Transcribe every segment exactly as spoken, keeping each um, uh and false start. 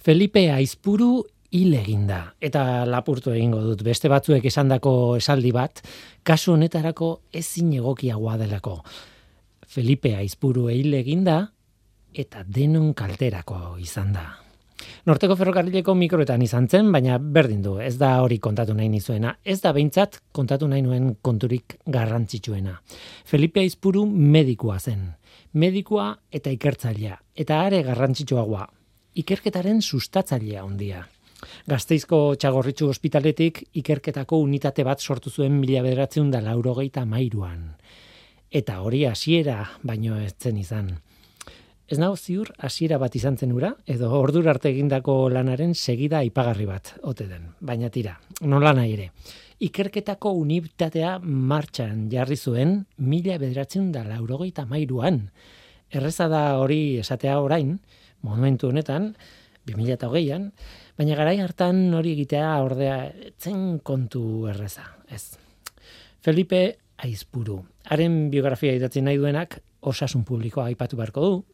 Felipe Aizpuru hil eginda, eta lapurtu egingo dut, beste batzuek esandako esaldi bat, kasu honetarako ezin egokiagoa delako. Felipe Aizpuru hil eginda, eta denon kalterako izan da. Norteko ferrokarrileko mikroetan izan zen, baina berdin du, ez da hori kontatu nahi nizuena, ez da behintzat kontatu nahi nuen konturik garrantzitsuena. Felipe Aizpuru medikua zen, medikua eta ikertzailea, eta are garrantzitsuagoa, ikerketaren sustatzailea handia. Gazteizko Txagorritxu ospitaletik ikerketako unitate bat sortu zuen mila bederatziehun eta laurogeita hamairuan. Eta hori hasiera baino ez zen izan. Ez nago ziur hasiera bat izan zen ura, edo ordura arte egindako lanaren segida aipagarri bat ote den. Baina tira, nola nahi ere. Ikerketako unitatea martxan jarri zuen mila bederatziehun eta laurogeita hamairuan. Erreza da hori esatea orain, momentu honetan, bi mila hogeian, baina garai hartan hori egitea ordea zen kontu erreza, ez. Felipe Aizpuru. Haren biografia idatzi nahi duenak osasun publikoa aipatu beharko du,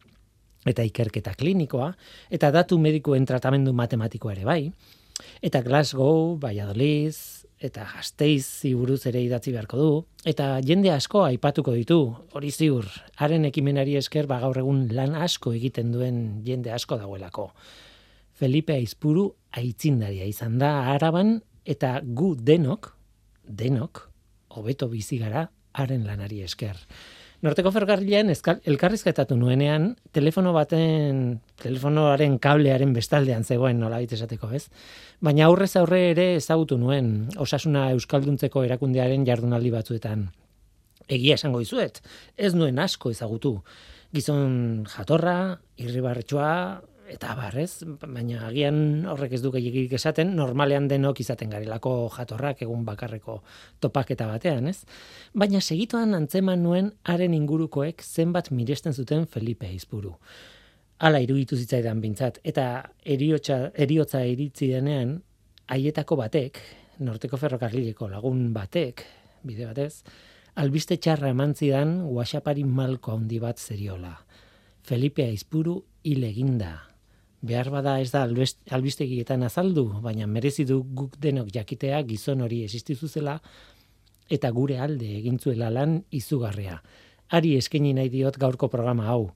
eta ikerketa klinikoa, eta datu medikuen tratamendu matematikoa ere bai, eta Glasgow, Valladolid, eta Gasteizi buruz ere idatzi beharko du, eta jende asko aipatuko ditu, hori ziur, haren ekimenari esker ba gaur egun lan asko egiten duen jende asko dagoelako. Felipe Aizpuru aitzindaria izan da Araban, eta gu denok, denok, hobeto bizi gara haren lanari esker. Norteko ferrokarrilean elkarrizketatu nuenean, telefono baten, telefonoaren kablearen bestaldean zegoen nolabait esateko, ez? Baina aurrez aurre ere ezagutu nuen, Osasuna Euskalduntzeko erakundearen jardunaldi batzuetan. Egia esango dizuet, ez nuen asko ezagutu. Gizon jatorra, irribarretxoa, eta barrez, baina agian horrek ez du gehiagik esaten, normalean denok izaten garelako jatorrak egun bakarreko topaketa batean, ez? Baina segituan antzeman nuen haren ingurukoek zenbat miresten zuten Felipe Aizpuru. Hala iruditu zitzaidan bintzat, eta eriotza, eriotza iritzi denean, haietako batek, Norteko ferrokarrileko lagun batek, bide batez, albiste txarra eman zidan WhatsAppari malko handi bat zeriola. Felipe Aizpuru hil eginda. Behar bada ez da albistegietan azaldu, baina merezi du guk denok jakitea gizon hori existitu zela eta gure alde egintzuela lan izugarria. Hari eskaini nahi diot gaurko programa hau.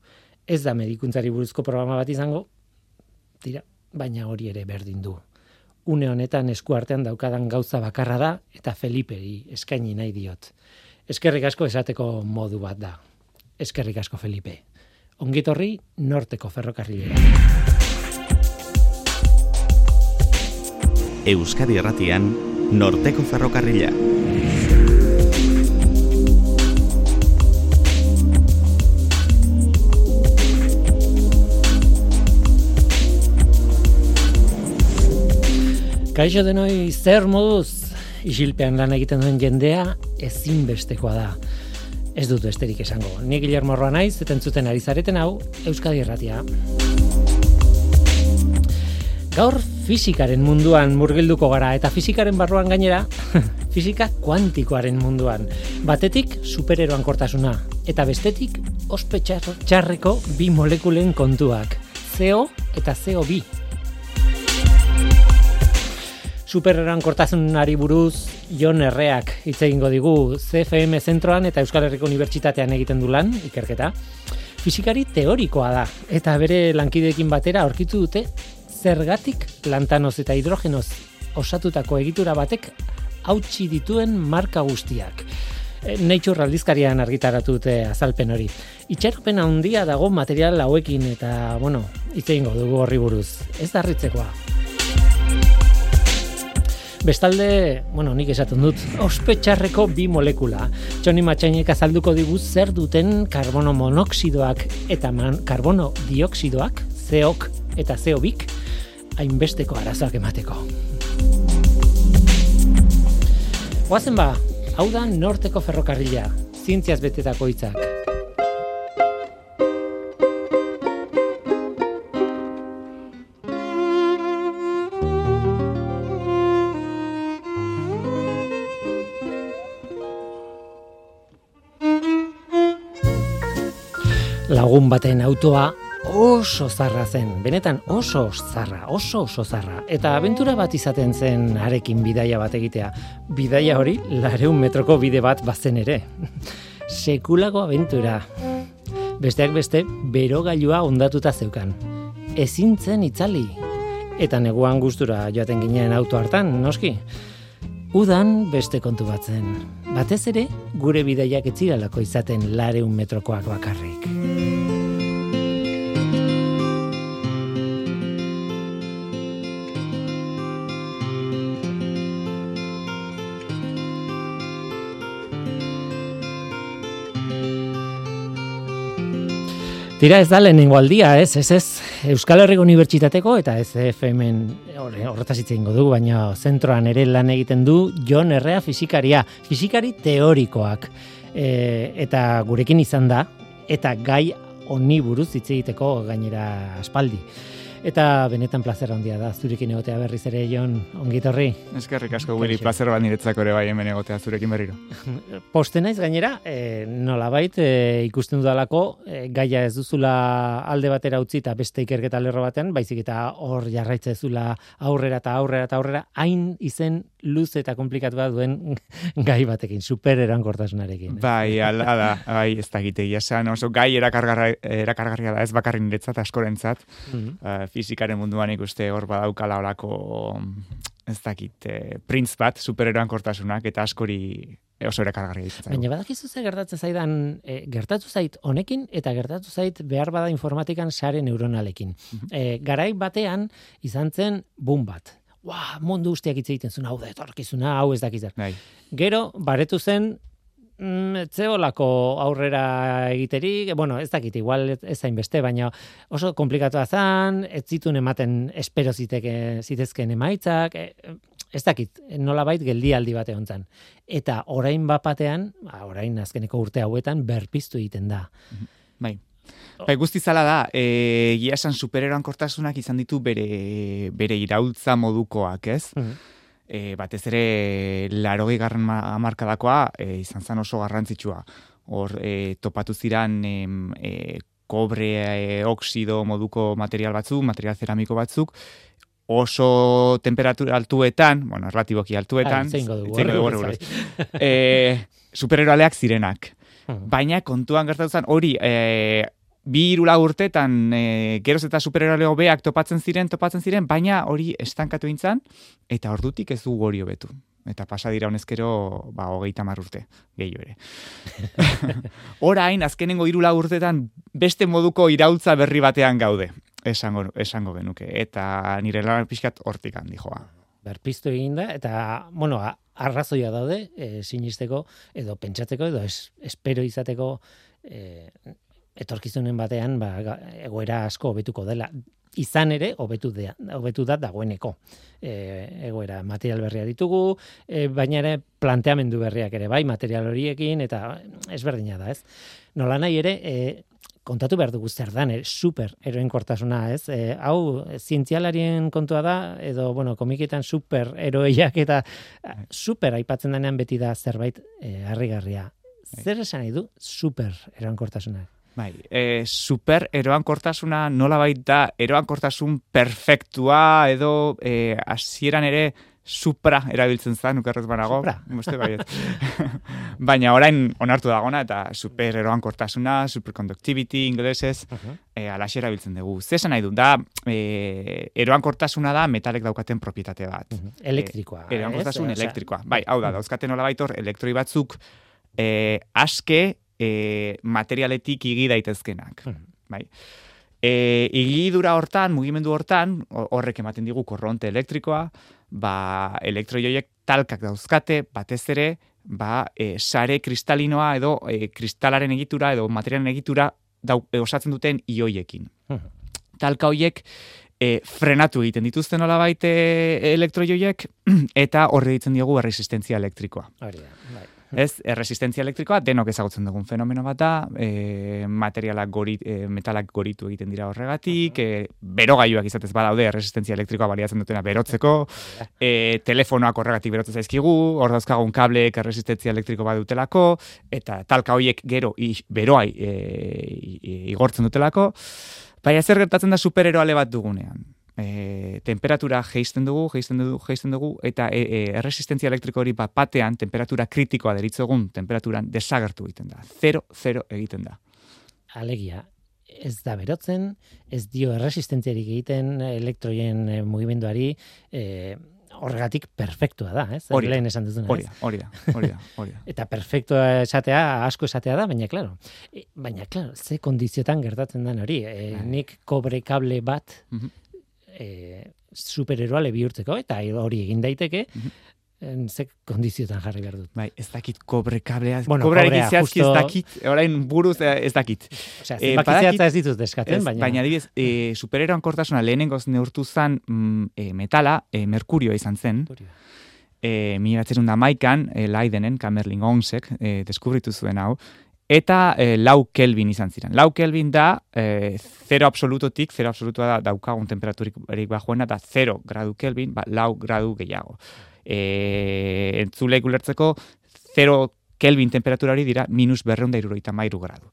Ez da medikuntzari buruzko programa bat izango, tira, baina hori ere berdin du. Une honetan eskuartean daukadan gauza bakarra da eta Feliperi eskaini nahi diot. Eskerrik asko esateko modu bat da. Eskerrik asko Felipe. Ongitorri Norteko ferrokarrilera. Euskadi Erratian, Norteko ferrokarrila. Kaixo denoi, zer moduz? Isilpean lan egiten duen jendea ezinbestekoa da. Ez dut besterik esango. Ni Guillermo Roa naiz, eta entzuten ari zareten hau, Euskadi Erratia. Gaur fisikaren munduan murgilduko gara, eta fisikaren barruan gainera, fisika kuantikoaren munduan. Batetik supereroan kortasuna, eta bestetik ospe txarreko bi molekulen kontuak, C O eta C O bi. Supereroan kortasunari buruz Jon Erreak hitz egingo digu C F M zentroan eta Euskal Herriko Unibertsitatean egiten du lan, ikerketa. Fisikari teorikoa da, eta bere lankideekin batera aurkitu dute zergatik lantanoz eta hidrogenoz osatutako egitura batek hautsi dituen marka guztiak. Nature aldizkarian argitaratu dute azalpen hori. Itxaropen handia dago material hauekin eta, bueno, hitz egingo dugu horri buruz. Ez da harritzekoa. Bestalde, bueno, nik esaten dut, ospe txarreko bi molekula. Txoni Matxainek azalduko digu zer duten karbono monoxidoak eta man, karbono dioxidoak, C O k eta C O bik, hainbesteko arazoak emateko. Goazen ba, hau da Norteko ferrokarrila, zientziaz betetako hitzak. Lagun baten autoa oso zarra zen, benetan oso zarra, oso oso zarra. Eta abentura bat izaten zen harekin bidaia bat egitea. Bidaia hori lareun metroko bide bat bazen ere. Sekulako abentura. Besteak beste, berogailua ondatuta zeukan. Ezin zen itzali. Eta neguan gustura joaten ginen auto hartan, noski. Udan beste kontu bat zen. Batez ere, gure bidaiak ez zirelako izaten lareun metrokoak bakarrik. Tira ez da lehenengo aldia, ez, ez, ez, Euskal Herriko Unibertsitateko eta ez F M'n horretaz hitz egingo dugu, baina zentroan ere lan egiten du Jon Errea fisikaria, fisikari teorikoak, e, eta gurekin izan da, eta gai honi buruz hitz egiteko gainera aspaldi. Eta benetan plazer handia da zurekin egotea berriz ere, Jon, ongi etorri. Eskerrik asko, Willy, plazer bat niretzako ere bai hemen egotea zurekin berriro. Poste naiz gainera, e, nolabait e, ikusten dudalako, e, gaia ez duzula alde batera utzi eta beste ikerketa lerro batean, baizik eta hor jarraitze duzula aurrera eta aurrera eta aurrera, hain izen luze eta komplikatu bat duen gai batekin, super erankortasunarekin. Bai, ala da, bai, ez da egitegia esan, oso gai erakargarria da, ez bakarri niretzat, askorentzat, mm-hmm. uh, fizikaren munduan ikuste hor badaukala horako, ez dakit, eh, printz bat, supereroankortasunak, eta askori oso erakargarria ditzen. Baina badakizu ze gertatzen zaidan, e, gertatu zait honekin, eta gertatu zait behar bada informatikan sare neuronalekin. Mm-hmm. E, garai batean izan zen boom bat. Ua, mundu guztiak hitz egiten zuen, hau da etorkizuna, hau ez dakizar. Bai. Gero, baretu zen, etzeolako aurrera egiterik, bueno, ez dakit, igual ez zain beste, baina oso komplikatua zen, ez zituen ematen espero ziteke, zitezken emaitzak, ez dakit, nolabait geldialdi bate hontzan. Eta orain bapatean, orain azkeneko urte hauetan, berpiztu egiten da. Bai. Bai, guzti zala da, e, egia esan supereroankortasunak izan ditu bere, bere iraultza modukoak, ez? Mm-hmm. E, batez ere larogei garren hamarkadakoa e, izan zen oso garrantzitsua. Hor e, topatu ziran e, e, kobre e, oksido moduko material batzuk, material ceramiko batzuk, oso temperatura altuetan, bueno, relatiboki altuetan, e, supereroaleak zirenak. Hmm. Baina kontuan gertatu zen hori e, bi hiru lau urtetan e, geroz eta supereroale hobeak topatzen ziren, topatzen ziren, baina hori estankatu intzan, eta ordutik ez du hori hobetu. Eta pasa dira honezkero, ba, hogeita hamar urte, gehiago ere. Orain, azkenengo hiru lau urtetan beste moduko iraultza berri batean gaude, esango, esango genuke. Eta nire lan pixkat hortik handi joa. Berpiztu egin da, eta, bueno, arrazoia daude, e, sinisteko, edo pentsatzeko, edo es, espero izateko, e, etorkizunen batean, ba, egoera asko hobetuko dela. Izan ere, hobetu da, hobetu da dagoeneko. E, egoera material berria ditugu, e, baina ere planteamendu berriak ere bai, material horiekin, eta ezberdina da, ez? Nola nahi ere, e, kontatu behar dugu zer dan, super eroenkortasuna, ez? E, hau, zientzialarien kontua da, edo, bueno, komiketan super eroeiak eta super aipatzen denean beti da zerbait e, harrigarria. Zer esan nahi du super eroenkortasuna? Bai, e, super eroankortasuna nola baita eroankortasun perfektua edo e, hasieran ere supra erabiltzen zen, ukerrez banago. Supra. Moste baiet. Baina orain onartu dagona eta super eroankortasuna, superconductivity inglesez, uh-huh. e, alaxe erabiltzen dugu. Zesan nahi du, da e, eroankortasuna da metalek daukaten propietate bat. Uh-huh. Elektrikoa. E, eroankortasun eh? elektrikoa. Bai, hau da, dauzkaten nola baitor elektroi batzuk e, aske E, materialetik igi daitezkenak. Hmm. Bai. E, igidura hortan, mugimendu hortan, horrek ematen digu korronte elektrikoa, ba, elektroioiek talkak dauzkate, batez ere, ba, e, sare kristalinoa edo e, kristalaren egitura edo materialen egitura dau, e, osatzen duten ioiekin. Hmm. Talka hoiek e, frenatu egiten dituzten nolabait e, elektroioiek eta horre ditzen diogu erresistentzia elektrikoa. Hori da, bai. Ez, erresistentzia elektrikoa denok ezagutzen dugun fenomeno bat da, e, materialak gorit, e, metalak goritu egiten dira horregatik, e, berogailuak izatez badaude erresistentzia elektrikoa baliatzen dutena berotzeko, e, telefonoak horregatik berotzen zaizkigu, hor dauzkagun kableek erresistentzia elektriko badutelako, eta talka horiek gero i, beroai e, i, igortzen dutelako. Baina zer gertatzen da supereroale bat dugunean? E, temperatura geisten dugu, geisten dugu, geisten dugu, eta e, e, erresistentzia elektriko hori bat batean, temperatura kritikoa deritzogun, temperaturan desagertu egiten da. Zero, zero egiten da. Alegia, ez da berotzen, ez dio erresistentziarik egiten elektroien e, mugimenduari, e, horregatik perfektua da, ez? Hori Lehen esan duzuna, hori da, hori da, hori da, hori da. Eta perfektua esatea, asko esatea da, baina claro, e, baina claro, ze kondiziotan gertatzen den hori, e, nik kobre kable bat Mhm. e, supereroale bihurtzeko, eta hori egin daiteke, en, ze kondiziotan jarri behar dut. Bai, ez dakit kobre kablea, Bueno, kobrearekin kobrea, zehazki ez justo- dakit, orain buruz eh, ez dakit. Osea, Eh, zenbaki badakit- zehatza ez ditut eskatzen, Ez, baina... baina adibidez, e, supereroan kortasuna lehenengoz neurtu zen mm, e, metala, e, merkurioa izan zen, e, mila bederatziehun eta hamaikan, e, Leidenen, Kamerlingh Onsek, e, deskubritu zuen hau, eta e, lau Kelvin izan ziren. Lau Kelvin da, e, zero absolutotik, zero absolutua da daukagun temperaturik bajuena, da zero gradu Kelvin, ba, lau gradu gehiago. E, entzulek ulertzeko, zero Kelvin temperatura hori dira minus berreun da hirurogeita hamairu gradu.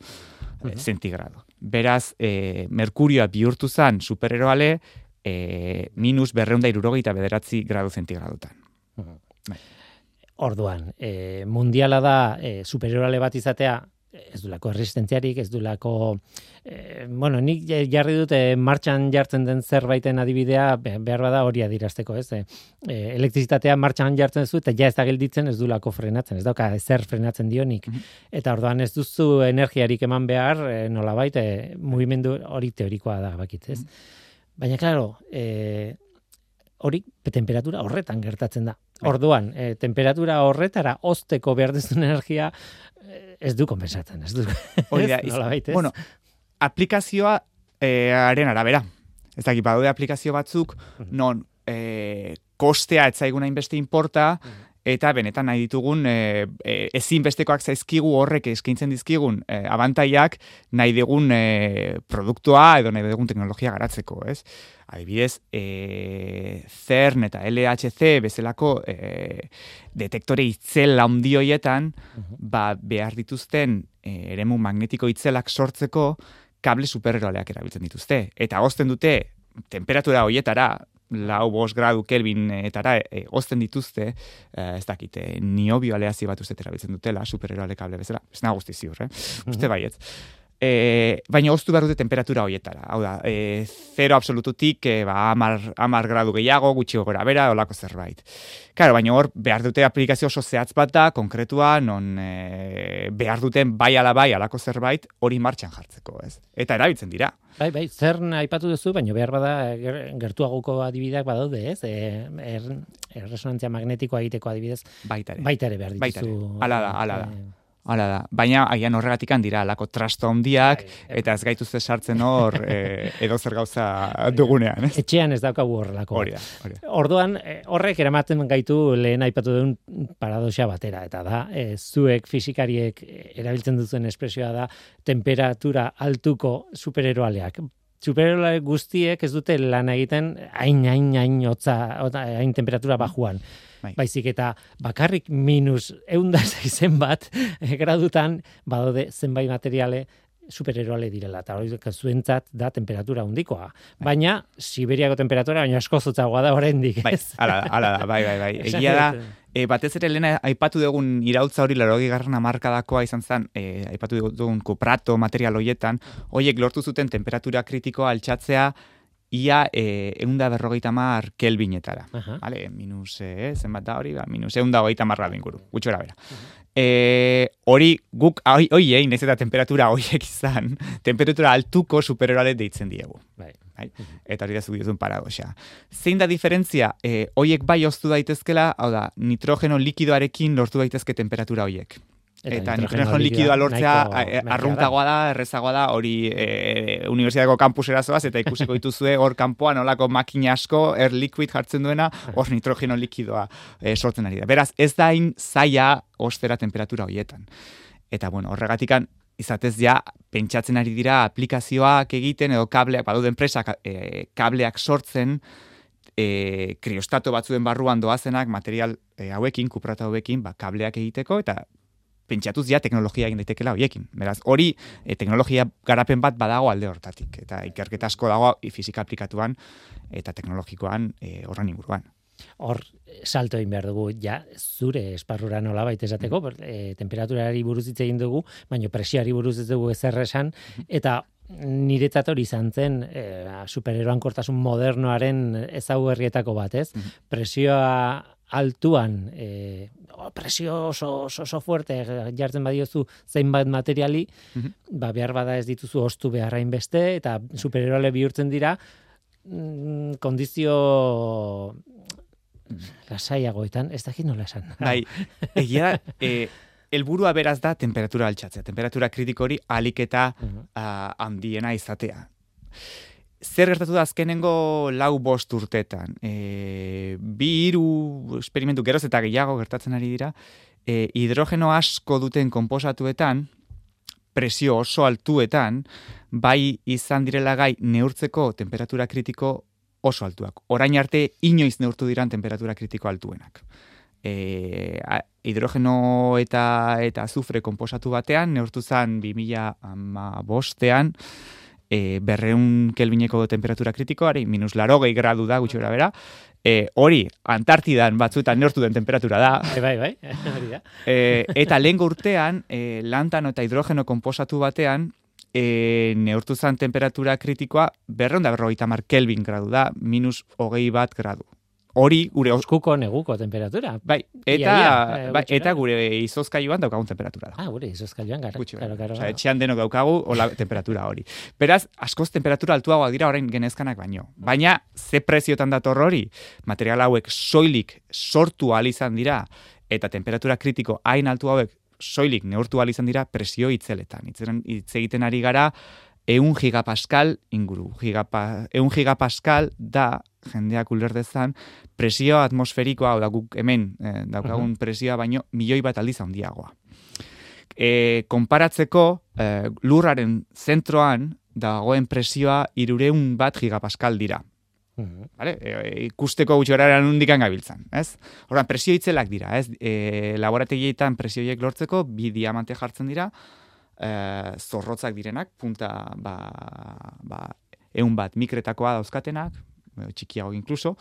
E, zentigrado. Beraz, e, merkurioa bihurtu zen supereroale, e, minus berreun da hirurogeita bederatzi gradu zentigradutan. Orduan, e, mundiala da e, supereroale bat izatea, ez dulako erresistentziarik, ez dulako, e, bueno, nik jarri dute martxan jartzen den zerbaiten adibidea, behar bada hori adirazteko, ez? E, elektrizitatea martxan jartzen zu, eta ja ez da gelditzen, ez dulako frenatzen, ez dauka zer frenatzen dionik. Eta orduan ez duzu energiarik eman behar, e, nolabait, e, mugimendu hori teorikoa da, bakit, ez? Baina, klaro, e, hori temperatura horretan gertatzen da. Orduan, e, temperatura horretara ozteko behar duzun energia e, ez du konpensatzen, ez du. Hori da, Ez, iz- nolabait, ez? bueno, aplikazioa eh, haren arabera. Ez dakit, badaude aplikazio batzuk, non eh, kostea ez zaiguna inbeste inporta, eta benetan nahi ditugun e, e, ezinbestekoak zaizkigu horrek eskaintzen dizkigun e, abantaiak nahi dugun e, produktua edo nahi dugun teknologia garatzeko, ez? Adibidez, e, CERN eta L H C bezalako e, detektore itzel handi horietan, ba, behar dituzten e, eremu magnetiko itzelak sortzeko kable supereroaleak erabiltzen dituzte. Eta hozten dute temperatura horietara, lau bost gradu kelvinetara e, ozten dituzte, e, ez dakite, niobio aleazio bat uste erabiltzen dutela, supereroale kable bezala, ez nahi guzti ziur, eh? Uste baietz. E, baina oztu behar dute temperatura horietara. Hau da, e, zero absolututik e, ba, amar, amar gradu gehiago, gutxi gora bera, olako zerbait. Claro, baina hor behar dute aplikazio oso zehatz bat da, konkretua, non e, behar duten bai ala bai alako zerbait hori martxan jartzeko, ez? Eta erabiltzen dira. Bai, bai, zer aipatu duzu, baina behar bada ger- gertuagoko adibideak badaude, ez? E, er, erresonantzia magnetikoa egiteko adibidez, Baita ere. baita ere behar Baita dituzu. ere. Hala da, hala da. E, Hala da, baina agian horregatik dira alako trasto handiak Bai, eta ez gaituzte sartzen hor e, edo zer gauza dugunean, ez? Etxean ez daukagu horrelako. Hori da, hori da. Orduan, eh, horrek eramaten gaitu lehen aipatu duen paradoxa batera, eta da, eh, zuek fisikariek erabiltzen duzuen espresioa da temperatura altuko supereroaleak. Supereroale guztiek ez dute lan egiten hain, hain, hain hotza, hotza, hain temperatura bajuan. Bai. Baizik eta bakarrik minus eunda zeizen bat eh, gradutan badaude zenbait materiale supereroale direla, eta hori zuentzat da temperatura handikoa. Baina, Siberiako temperatura, baina asko zotzagoa da oraindik. Bai, ez? hala da, hala da, bai, bai, bai. Esan Egia da, dut, e, batez ere lehen aipatu dugun iraultza hori laurogei garren hamarkadakoa izan zen, e, aipatu dugun kuprato material hoietan, hoiek lortu zuten temperatura kritikoa altxatzea ia e, eunda berrogeita mar kelvinetara. Aha. Vale, minus, eh, zenbat da hori, ba, minus eunda hogeita mar gradu inguru, gutxora bera. E, hori guk, hoi, hoiei, nahiz eta temperatura hoiek izan, temperatura altuko supereroale deitzen diegu. Bai. Bai? Eta hori da zuk diozun paradoxa. Zein da diferentzia? E, hoiek bai oztu daitezkela, hau da, nitrogeno likidoarekin lortu daitezke temperatura hoiek. Eta nitrogeno likidoa lortzea nahiko arruntagoa da, errezagoa da, hori e, unibertsitateko kampusera zoaz, eta ikusiko dituzue hor kanpoan olako makina asko, air liquid jartzen duena, hor nitrogeno likidoa e, sortzen ari da. Beraz, ez da hain zaila ostera temperatura horietan. Eta, bueno, horregatikan, izatez ja, pentsatzen ari dira aplikazioak egiten, edo kableak, badaude enpresak e, kableak sortzen, e, kriostato batzuen barruan doazenak, material e, hauekin, kuprata hauekin, ba, kableak egiteko, eta pentsatuz ja teknologia egin daitekela hoiekin. Beraz, hori e, teknologia garapen bat badago alde hortatik. Eta ikerketa asko dago fisika aplikatuan eta teknologikoan e, horren inguruan. Hor, salto egin behar dugu, ja, zure esparrura nola baita esateko, mm. e, temperaturari buruz hitz egin dugu, baina presioari buruz ez dugu ezer esan, eta niretzat hori izan zen e, supereroankortasun modernoaren ezaugarrietako bat, ez? Mm. Presioa altuan, e, presio oso, oso, oso fuerte jartzen badiozu zeinbat materiali, mm-hmm. ba, behar bada ez dituzu ostu beharrain beste, eta supereroale bihurtzen dira, mm, kondizio lasaiagoetan, ez dakit nola esan. Bai, egia da, e, helburua beraz da temperatura altxatzea, temperatura kritiko hori alik eta uh-huh. uh, handiena izatea. Zer gertatu da azkenengo lau bost urtetan? E, bi hiru esperimentu geroz eta gehiago gertatzen ari dira, e, hidrogeno asko duten konposatuetan, presio oso altuetan, bai izan direla gai neurtzeko temperatura kritiko oso altuak. Orain arte inoiz neurtu diran temperatura kritiko altuenak. E, a, hidrogeno eta eta azufre konposatu batean neurtu zen bi mila hamabostean e, berreun kelvineko temperatura kritikoari, minus larogei gradu da gutxi bera, e, hori Antartidan batzuetan neurtu den temperatura da. Bai, bai, hori da. E, eta lehengo urtean, e, lantano eta hidrogeno konposatu batean, e, neurtu zen temperatura kritikoa berreun da berrogeita hamar kelvin gradu da, minus hogei bat gradu. Hori gure oskuko neguko temperatura. Bai, eta ia, ia, bai, eta gure izozkailuan daukagun temperatura da. Ah, gure izozkailuan gara. Claro, claro. Osea, etxean denok daukagu hola temperatura hori. Beraz, askoz temperatura altuagoak dira orain genezkanak baino. Baina ze preziotan dator hori? Material hauek soilik sortu ahal izan dira eta temperatura kritiko hain altu hauek soilik neurtu ahal izan dira presio itzeletan. Itzeren hitz egiten ari gara ehun gigapascal inguru. Gigapa, ehun gigapascal da jendeak uler dezan, presio atmosferikoa, hau da guk hemen eh, daukagun uh-huh. presioa baino milioi bat aldiz handiagoa. E, konparatzeko, eh, lurraren zentroan dagoen presioa hirureun bat gigapascal dira. Uh-huh. Vale? E, ikusteko gutxi gara nondikan gabiltzan, ez? Horran, presio itzelak dira, ez? E, laborategietan presioiek lortzeko bi diamante jartzen dira, e, zorrotzak direnak, punta ba, ba, eun bat mikretakoa dauzkatenak, txikiago inkluso,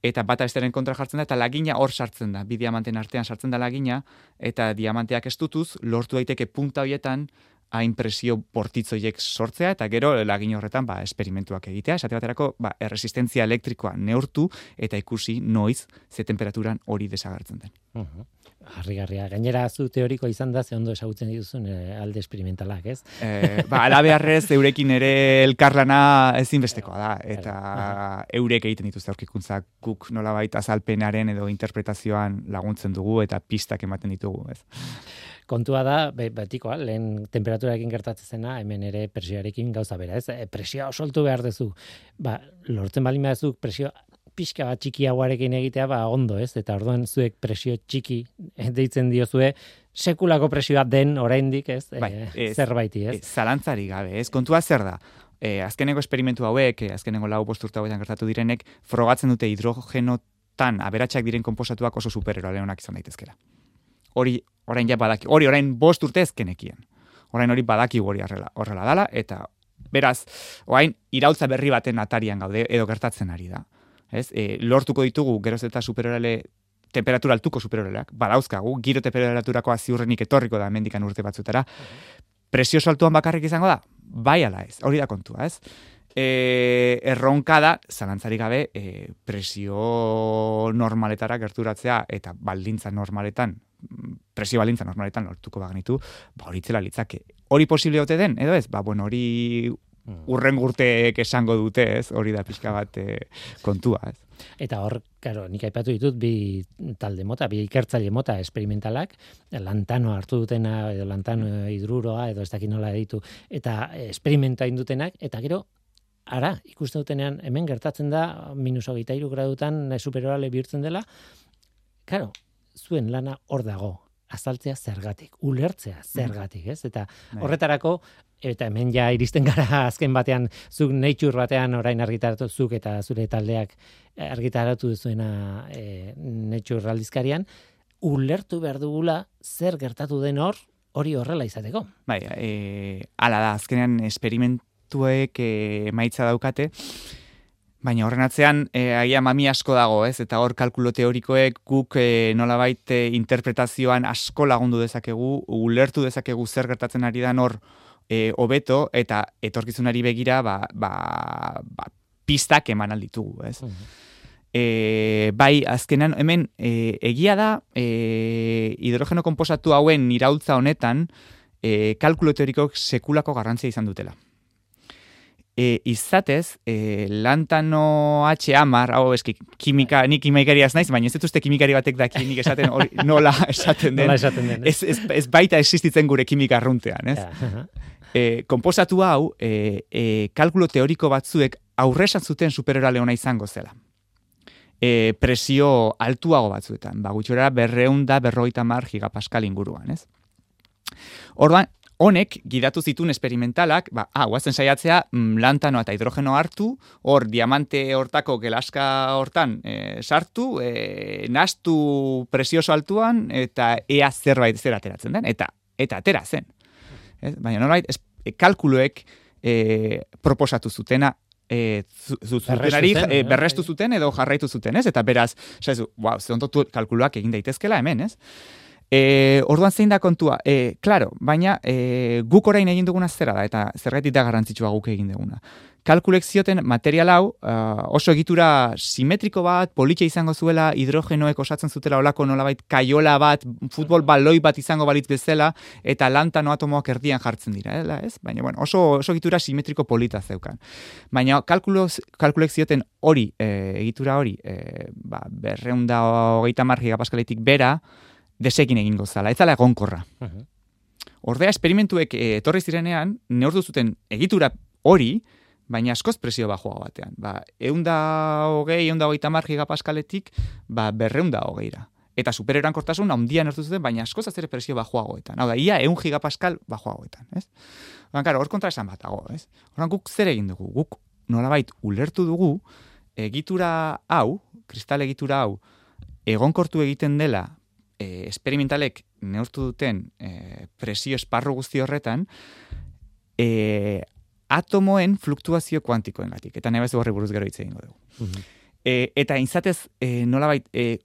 eta bata besteren kontra jartzen da, eta lagina hor sartzen da, bi diamanten artean sartzen da lagina, eta diamanteak estutuz, lortu daiteke punta horietan, hain presio bortitzoiek sortzea, eta gero lagin horretan ba, esperimentuak egitea, esate baterako ba, erresistentzia elektrikoa neurtu, eta ikusi noiz ze temperaturan hori desagertzen den. Uh-huh. Harrigarria. Gainera zu teoriko izan da, ze ondo esagutzen dituzun e, alde esperimentalak, ez? E, ba, alabearrez, eurekin ere elkarlana ezinbestekoa da, eta eurek egiten dituzte aurkikuntzak guk nolabait azalpenaren edo interpretazioan laguntzen dugu, eta pistak ematen ditugu, ez? Kontua da, betikoa, lehen temperaturarekin gertatzen zena, hemen ere presioarekin gauza bera, ez? E, presioa osoltu behar duzu. Ba, lortzen balin behar presio pixka bat txikiagoarekin egitea, ba, ondo, ez? Eta orduan zuek presio txiki deitzen diozue, sekulako presioa den oraindik, ez? Bai, e, zerbaiti, ez? ez zalantzari gabe, ez? Kontua zer da? E, azkeneko esperimentu hauek, e, azkeneko lau bost urte hauetan gertatu direnek, frogatzen dute hidrogenotan aberatsak diren konposatuak oso supereroale onak izan daitezkera. Hori, orain ja badaki, hori orain bost urte ezkenekien. Orain hori badaki hori horrela, horrela dala, eta beraz, orain iraultza berri baten atarian gaude, edo gertatzen ari da. Ez? E, lortuko ditugu geroz eta superorale, temperatura altuko superoraleak, badauzkagu, giro temperaturakoa ziurrenik etorriko da mendikan urte batzutara. Presio saltuan bakarrik izango da? Bai ala ez, hori da kontua, ez? E, erronka da, zalantzarik gabe, e, presio normaletara gerturatzea eta baldintza normaletan, presio baldintza normaletan lortuko bagnitu, ba hori itzela litzake. Hori posible ote den, edo ez? Ba, bueno, hori urren gurteek esango dute, ez? Hori da pixka bat e, kontua, ez? Eta hor, karo, nik aipatu ditut bi talde mota, bi ikertzaile mota esperimentalak, lantano hartu dutena, edo lantano hidruroa, edo ez dakit nola ditu, eta esperimenta indutenak, eta gero, ara, ikusten dutenean, hemen gertatzen da, minus hogeita hiru gradutan superorale bihurtzen dela, karo, zuen lana hor dago, azaltzea zergatik, ulertzea zergatik, ez? Eta horretarako, eta hemen ja iristen gara azken batean, zuk Nature batean orain argitaratu zuk eta zure taldeak argitaratu duzuena e, Nature aldizkarian, ulertu behar dugula zer gertatu den hor, hori horrela izateko. Bai, e, ala da, azkenean esperimentuek e, maitza daukate, baina horren atzean e, agia mami asko dago, ez? Eta hor kalkulo teorikoek guk e, nolabait e, interpretazioan asko lagundu dezakegu, ulertu dezakegu zer gertatzen ari da hor e, hobeto, eta etorkizunari begira ba, ba, ba, pistak eman alditugu, ez? Uh-huh. E, bai, azkenan, hemen, e, egia da, e, hidrogeno konposatu hauen iraultza honetan, e, kalkulo teorikoak sekulako garrantzia izan dutela. E, izatez, e, lantano H hamar, hau eski, kimika, nik kimikariaz naiz, baina ez dituzte kimikari batek daki nik esaten hori, nola esaten den. Nola esaten den. Ez, ez, ez baita existitzen gure kimika arruntean, ez? Ja. E, konposatu hau, e, e, kalkulo teoriko batzuek aurresan zuten superorale ona izango zela. E, presio altuago batzuetan, ba, gutxora berreun da berrogeita hamar gigapaskal inguruan, ez? Orduan, honek gidatu zituen esperimentalak, ba, ah, guazen saiatzea, mm, lantanoa eta hidrogeno hartu, hor diamante hortako gelaska hortan e, sartu, e, nastu presioso altuan, eta ea zerbait zer ateratzen den, eta eta atera zen. Ez? Baina nolabait, kalkuloek e, proposatu zutena, E, zutenari e, berrestu zuten edo jarraitu zuten, ez? Eta beraz, saizu, wow, ze ondo kalkuluak egin daitezkela hemen, ez? E, orduan zein da kontua? E, claro, baina e, guk orain egin duguna zera da, eta zergatik da garrantzitsua guk egin duguna. Kalkulek zioten material hau uh, oso egitura simetriko bat, politia izango zuela, hidrogenoek osatzen zutela olako nolabait kaiola bat, futbol baloi bat izango balitz bezala, eta lantano atomoak erdian jartzen dira, ez? Baina, bueno, oso, oso egitura simetriko polita zeukan. Baina kalkulek zioten hori, e, egitura hori, e, ba, berreunda hogeita hamar gigapaskaletik bera, desekin egingo zala, ez zala egonkorra. Uh-huh. Ordea, esperimentuek e, etorri zirenean, neurtu zuten egitura hori, baina askoz presio bajoa batean. Ba, eunda hogei, eunda hogeita hamar gigapaskaletik, ba, berreunda hogeira. Eta supererankortasun handian hartu zuten, baina askoz azere presio bajoagoetan. Hau da, ia eun gigapaskal bajoagoetan, ez? Oran, karo, hor kontra esan bat dago, ez? Oran, guk zer egin dugu? Guk nolabait ulertu dugu, egitura hau, kristal egitura hau, egonkortu egiten dela, e, esperimentalek neurtu duten e, presio esparru guzti horretan, e, atomoen fluktuazio kuantikoengatik, eta nahi horri buruz gero hitz egingo dugu. Uh-huh. E, eta inzatez, e, nolabait, e,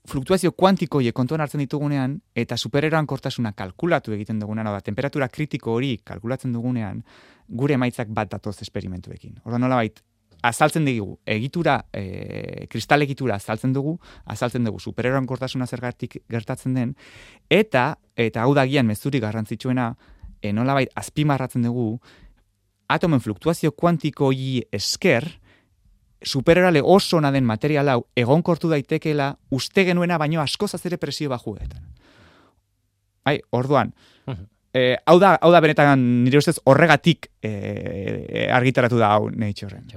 fluktuazio kuantikoie kontuan hartzen ditugunean, eta supererankortasuna kalkulatu egiten dugunean, oda, temperatura kritiko hori kalkulatzen dugunean, gure emaitzak bat datoz esperimentuekin. Orda nolabait, azaltzen dugu, egitura, e, kristal egitura azaltzen dugu, azaltzen dugu supererankortasuna zergatik gertatzen den, eta, eta hau da gian mezurik garrantzitsuena, e, nolabait, azpimarratzen dugu, atomen fluktuazio kuantikoi esker, superorale oso ona den material hau egonkortu daitekeela uste genuena baino askoz azere presio bajuetan. Bai, orduan, eh, hau da, hau da benetan nire ustez horregatik eh, argitaratu da hau Naturen.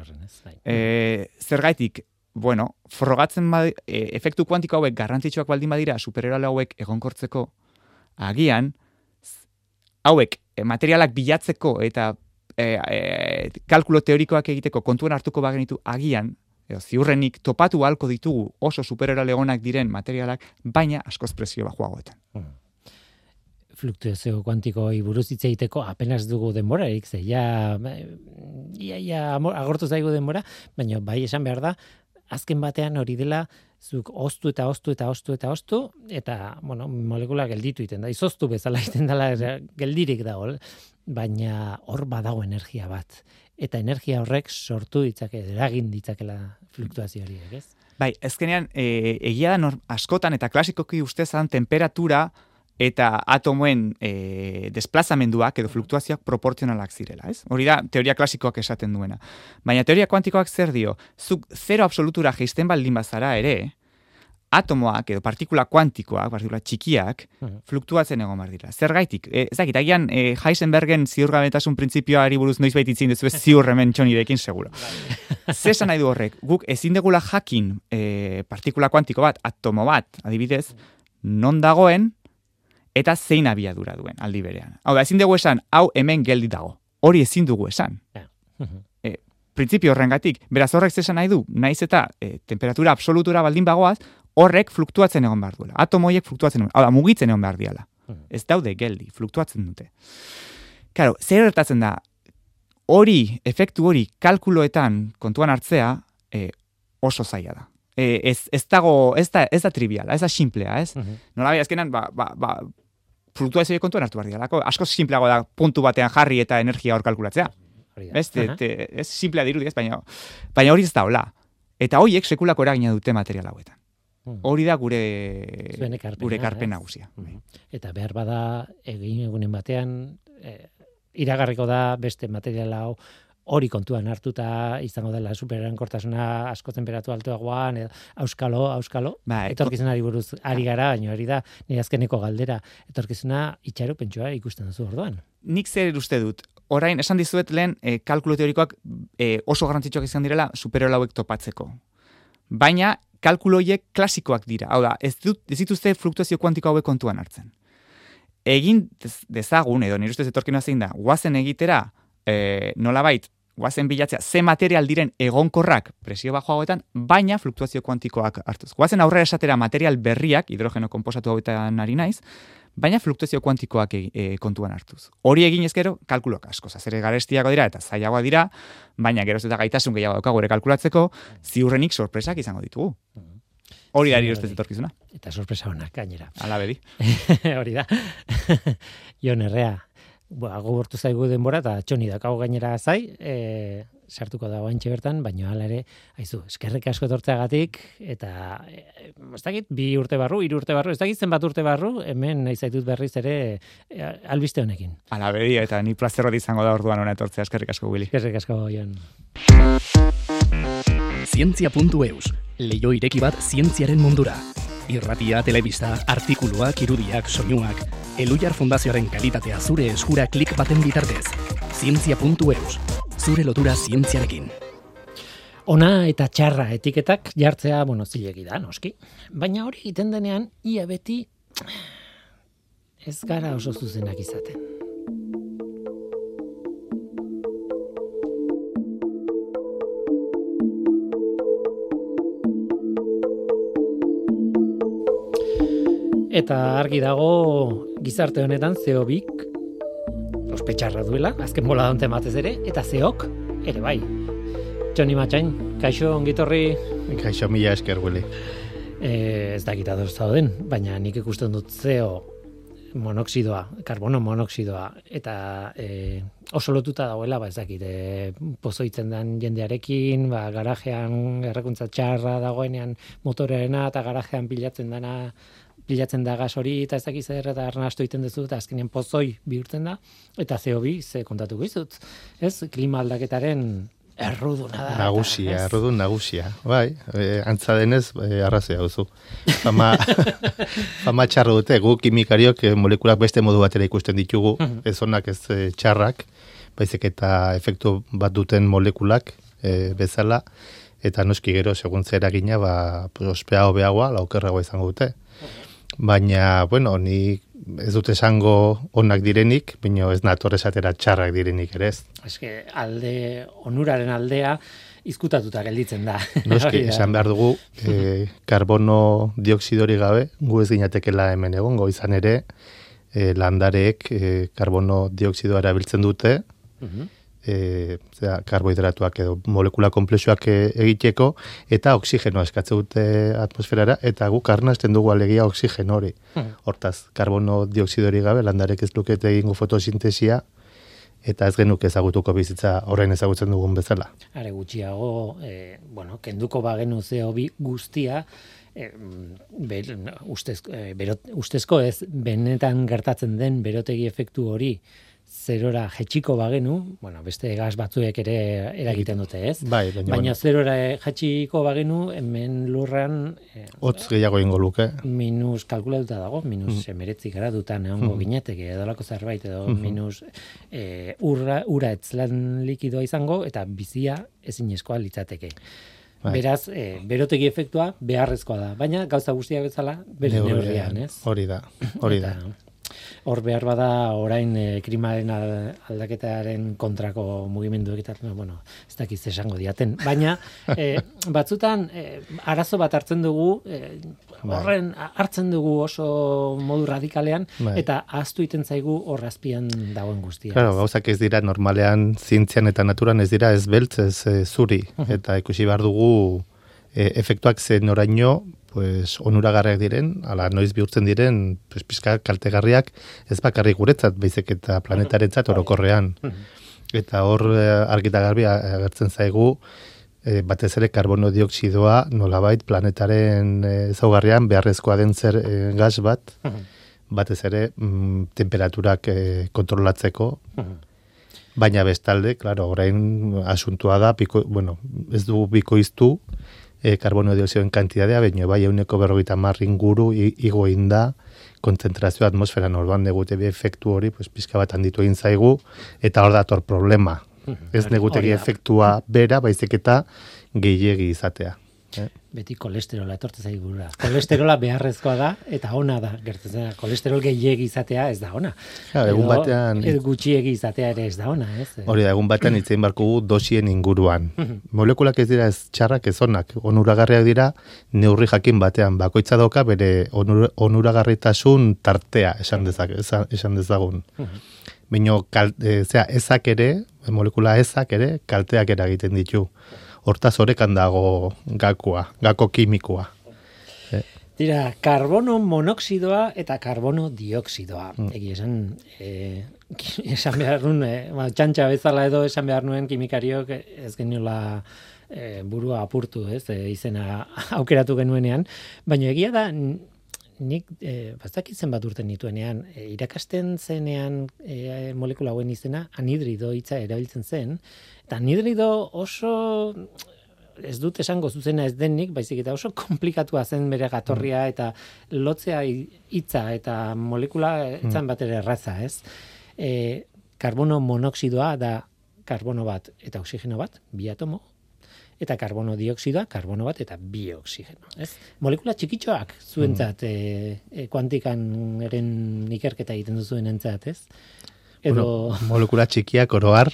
Eh, zergaitik, bueno, frogatzen badi, eh, efektu kuantiko hauek garrantzitsuak baldin badira superorale hauek egonkortzeko, agian, hauek eh, materialak bilatzeko eta E, e, kalkulo teorikoak egiteko kontuan hartuko bagenitu agian, edo, ziurrenik topatu halko ditugu oso superorale onak diren materialak, baina askoz presio bajoagoetan. Hmm. Fluktuazio kuantikoi buruz hitz egiteko apenas dugu denborarik, ze ja, ja, ja agortu zaigu denbora, baina bai esan behar da, azken batean hori dela, zuk oztu eta oztu eta oztu eta oztu, eta, bueno, molekula gelditu iten da, izoztu bezala iten dela, geldirik dago, baina hor badago energia bat. Eta energia horrek sortu ditzake, eragin ditzakela fluktuazio horiek, ez? Bai, ezkenean, e, egia da nor, askotan eta klasikoki ustezan temperatura eta atomoen e, desplazamenduak edo fluktuazioak proportzionalak zirela, ez? Hori da teoria klasikoak esaten duena. Baina teoria kuantikoak zer dio? Zuk zero absolutura jeisten baldin bazara ere, atomoak edo partikula kuantikoak, partikula txikiak, uh-huh. fluktuatzen egon behar dira. Zergaitik? E, ez dakit, agian e, Heisenbergen ziurgabetasun printzipioari buruz noiz baititzin dezu, ez ziur hemen txonirekin seguro. Zesan nahi du horrek, guk ezin degula jakin e, partikula kuantiko bat, atomo bat, adibidez, non dagoen, eta zein abiadura duen aldi berean. Hau da, ezin dugu esan, hau hemen geldi dago. Hori ezin dugu esan. Uh-huh. E, printzipio horrengatik, beraz horrek zesan nahi du, naiz eta e, temperatura absolutura baldin bagoaz, horrek fluktuatzen egon behar duela. Atomoiek fluktuatzen egon, hau da, mugitzen egon behar diala. Ez daude geldi, fluktuatzen dute. Claro, zer gertatzen da, hori, efektu hori, kalkuloetan kontuan hartzea, eh, oso zaila da. Eh, ez, ez dago, ez da, ez da triviala, ez da simplea, ez? Uh-huh. Nola bai, azkenan, ba, ba, ba, fluktuazio kontuan hartu behar dira. Asko simpleago da puntu batean jarri eta energia hor kalkulatzea. Ez, te, te, ez simplea dirudi, ez, baina, baina hori ez da hola. Eta horiek sekulako eragina dute material hauetan. Hori da gure gure karpen nagusia. Eta behar bada egin egunen batean e, iragarriko da beste material hau hori kontuan hartuta izango dela supererankortasuna asko tenperatu altuagoan, auskalo, auskalo. Ba, etorkizunari buruz ari gara, baina hori da nire azkeneko galdera. Etorkizuna itxaropentsua ikusten duzu orduan. Nik zer uste dut, orain esan dizuet lehen e, kalkulo teorikoak e, oso garrantzitsuak izan direla superiola hauek topatzeko. Baina kalkuloiek klasikoak dira. Hau da, ez, dut, ez dituzte fluktuazio kuantiko hauek kontuan hartzen. Egin dezagun, edo nire ustez etorkina zein da, guazen egitera, e, nolabait, guazen bilatzea, ze material diren egonkorrak presio bajo hauetan, baina fluktuazio kuantikoak hartuz. Guazen aurrera esatera material berriak, hidrogeno konposatu hauetan ari naiz, baina fluktuazio kuantikoak e, kontuan hartuz. Hori egin ezkero, kalkuloak asko zazere garestiago dira eta zailagoa dira, baina geroz eta gaitasun gehiago daukagu ere kalkulatzeko, ziurrenik sorpresak izango ditugu. Hori da irostez etorkizuna. Eta sorpresa honak, gainera. Ala bedi. Hori da. Jon Errea, agurtu zaigu denbora eta txoni dakago gainera zai, e, sartuko dago antxe bertan, baina hala ere, haizu, eskerrik asko etortzeagatik, eta e, ez dakit, bi urte barru, hiru urte barru, ez dakit zenbat urte barru, hemen nahi zaitut berriz ere e, albiste honekin. Ala bedi, eta ni plazer bat izango da orduan hona etortzea, eskerrik asko, Willy. Eskerrik asko, Jon. Zientzia puntu eus, leio ireki bat zientziaren mundura. Irratia, telebista, artikuluak, irudiak, soinuak, Elujar Fundazioaren kalitatea zure eskura klik baten bitartez. Zientzia puntu eus, zure lotura zientziarekin. Ona eta txarra etiketak jartzea, bueno, zilegi da, noski. Baina hori egiten denean, ia beti ez gara oso zuzenak izaten. Eta argi dago gizarte honetan C O bik ospetxarra duela, azken bola donte matez ere, eta C O k ere bai. Txoni Matxain, kaixo ongitorri. Kaixo mila esker, Willy. E, ez dakit ados zauden, baina nik ikusten dut C O monoxidoa, karbono monoxidoa, eta e, oso lotuta dagoela, ba ez dakit, e, pozoitzen den jendearekin, ba, garajean errekuntza txarra dagoenean motorarena, eta garajean pilatzen dana, pilatzen da gas hori, eta ez dakit zer, eta arnastu egiten duzu, eta azkenean pozoi bihurtzen da, eta C O bi, ze kontatu gizut, ez, klima aldaketaren erruduna da. Nagusia, errudun nagusia. Bai, e, antza denez, e, arrazia duzu. Fama, fama txarro dute, gu kimikariok e, molekulak beste modu batera ikusten ditugu, ez onak ez e, txarrak, baizik eta efektu bat duten molekulak e, bezala, eta noski gero, segun zer eragina, ba, ospea hobeagoa, laukerragoa izango dute. Baina, bueno, ni ez dut esango onak direnik, baina ez nator esatera txarrak direnik ere ez. Eske alde, onuraren aldea, izkutatuta gelditzen da. Noski, esan behar dugu, e, karbono dioksidori gabe, gu ez ginatekela hemen egongo izan ere, e, landareek e, karbono dioksidoa erabiltzen dute, uh-huh. E, zera, karbohidratuak edo molekula komplexuak egiteko, eta oksigenoa eskatze dute atmosferara, eta guk arnasten dugu alegia oxigeno hori. Hmm. Hortaz, karbono dioksidori gabe, landarek ez lukete egingo fotosintesia, eta ez genuk ezagutuko bizitza orain ezagutzen dugun bezala. Are gutxiago, eh, bueno, kenduko bagenu C O bi guztia, eh, ber, ustez, eh, berot, ustezko ez, benetan gertatzen den berotegi efektu hori, zerora jetxiko bagenu, bueno, beste gas batzuek ere eragiten dute, ez? Bai, baina, baina zerora jetxiko bagenu, hemen lurran... Eh, Hotz gehiago ingo luke. Minus kalkulatuta dago, minus mm. emeretzi gara dutan egongo mm. gineteke, edolako zerbait, edo mm-hmm. minus eh, urra, ura etzlan likidoa izango, eta bizia ezinezkoa litzateke. Bai. Beraz, eh, berotegi efektua beharrezkoa da, baina gauza guztiak bezala, bere neurrian, ez? Hori da, hori da. Hor behar bada orain e, klimaren aldaketaren kontrako mugimenduek eta, bueno, ez dakiz esango diaten. Baina, e, batzutan, e, arazo bat hartzen dugu, e, horren hartzen dugu oso modu radikalean, bai. Eta ahaztu iten zaigu hor azpian dagoen guztia. Claro, gauzak ez dira normalean, zientzian eta naturan ez dira ez beltz, ez e, zuri. Uh-huh. Eta ikusi behar dugu e, efektuak zen oraino, pues, onuragarriak diren, ala noiz bihurtzen diren, pues, pizka kaltegarriak ez bakarrik guretzat, baizik eta planetarentzat orokorrean. Eta hor argita garbi agertzen zaigu, e, batez ere karbono dioksidoa nolabait planetaren ezaugarrian beharrezkoa den zer e, gas bat, batez ere mm, temperaturak e, kontrolatzeko, baina bestalde, claro, orain asuntua da, piko, bueno, ez du bikoiztu, E, karbono dioxidoen kantitatea, baina bai euneko berrogeita hamar inguru igo egin da, kontzentrazio atmosferan orduan negutegi efektu hori, pues, pizka bat handitu egin zaigu, eta hor dator problema. Ez negutegi efektua bera, baizik eta gehiegi izatea. Eh? Beti kolesterola etortzen zaigura. Kolesterola beharrezkoa da eta ona da. Gertatzen da, kolesterol gehiegi izatea ez da ona. Ja, egun batean edo gutxiegi izatea ere ez da ona, ez? Hori da, egun batean hitzein barkugu dosien inguruan. Molekulak ez dira ez txarrak ez onak, onuragarriak dira neurri jakin batean. Bakoitza dauka bere onur, onuragarritasun tartea, esan dezak, esan dezagun. Baina e, ezak ere, molekula ezak ere, kalteak eragiten ditu. Hortaz horekan dago gakoa, gako kimikoa. Eh. Dira, karbono monoxidoa eta karbono dioksidoa. Mm. Egi esan, eh, esan behar nuen, eh, txantxa bezala edo esan behar nuen kimikariok ez geniola eh, burua apurtu, ez, eh, izena aukeratu genuenean. Baina egia da, nik eh, bastakitzen bat urten nituenean, eh, irakasten zenean eh, molekula hauen izena, anhidrido hitza erabiltzen zen, eta anhidrido oso, ez dut esango zuzena ez denik, baizik eta oso komplikatua zen bere gatorria, eta lotzea hitza eta molekula etzan bat ere erraza, ez? E, karbono monoxidoa da karbono bat eta oxigeno bat, bi atomo, eta karbono dioksidoa, karbono bat eta bi oxigeno, ez? Molekula txikitxoak zuentzat, e, e, kuantikan eren ikerketa egiten duzuen entzat, ez? Edo... Bueno, molekula txikiak oroar,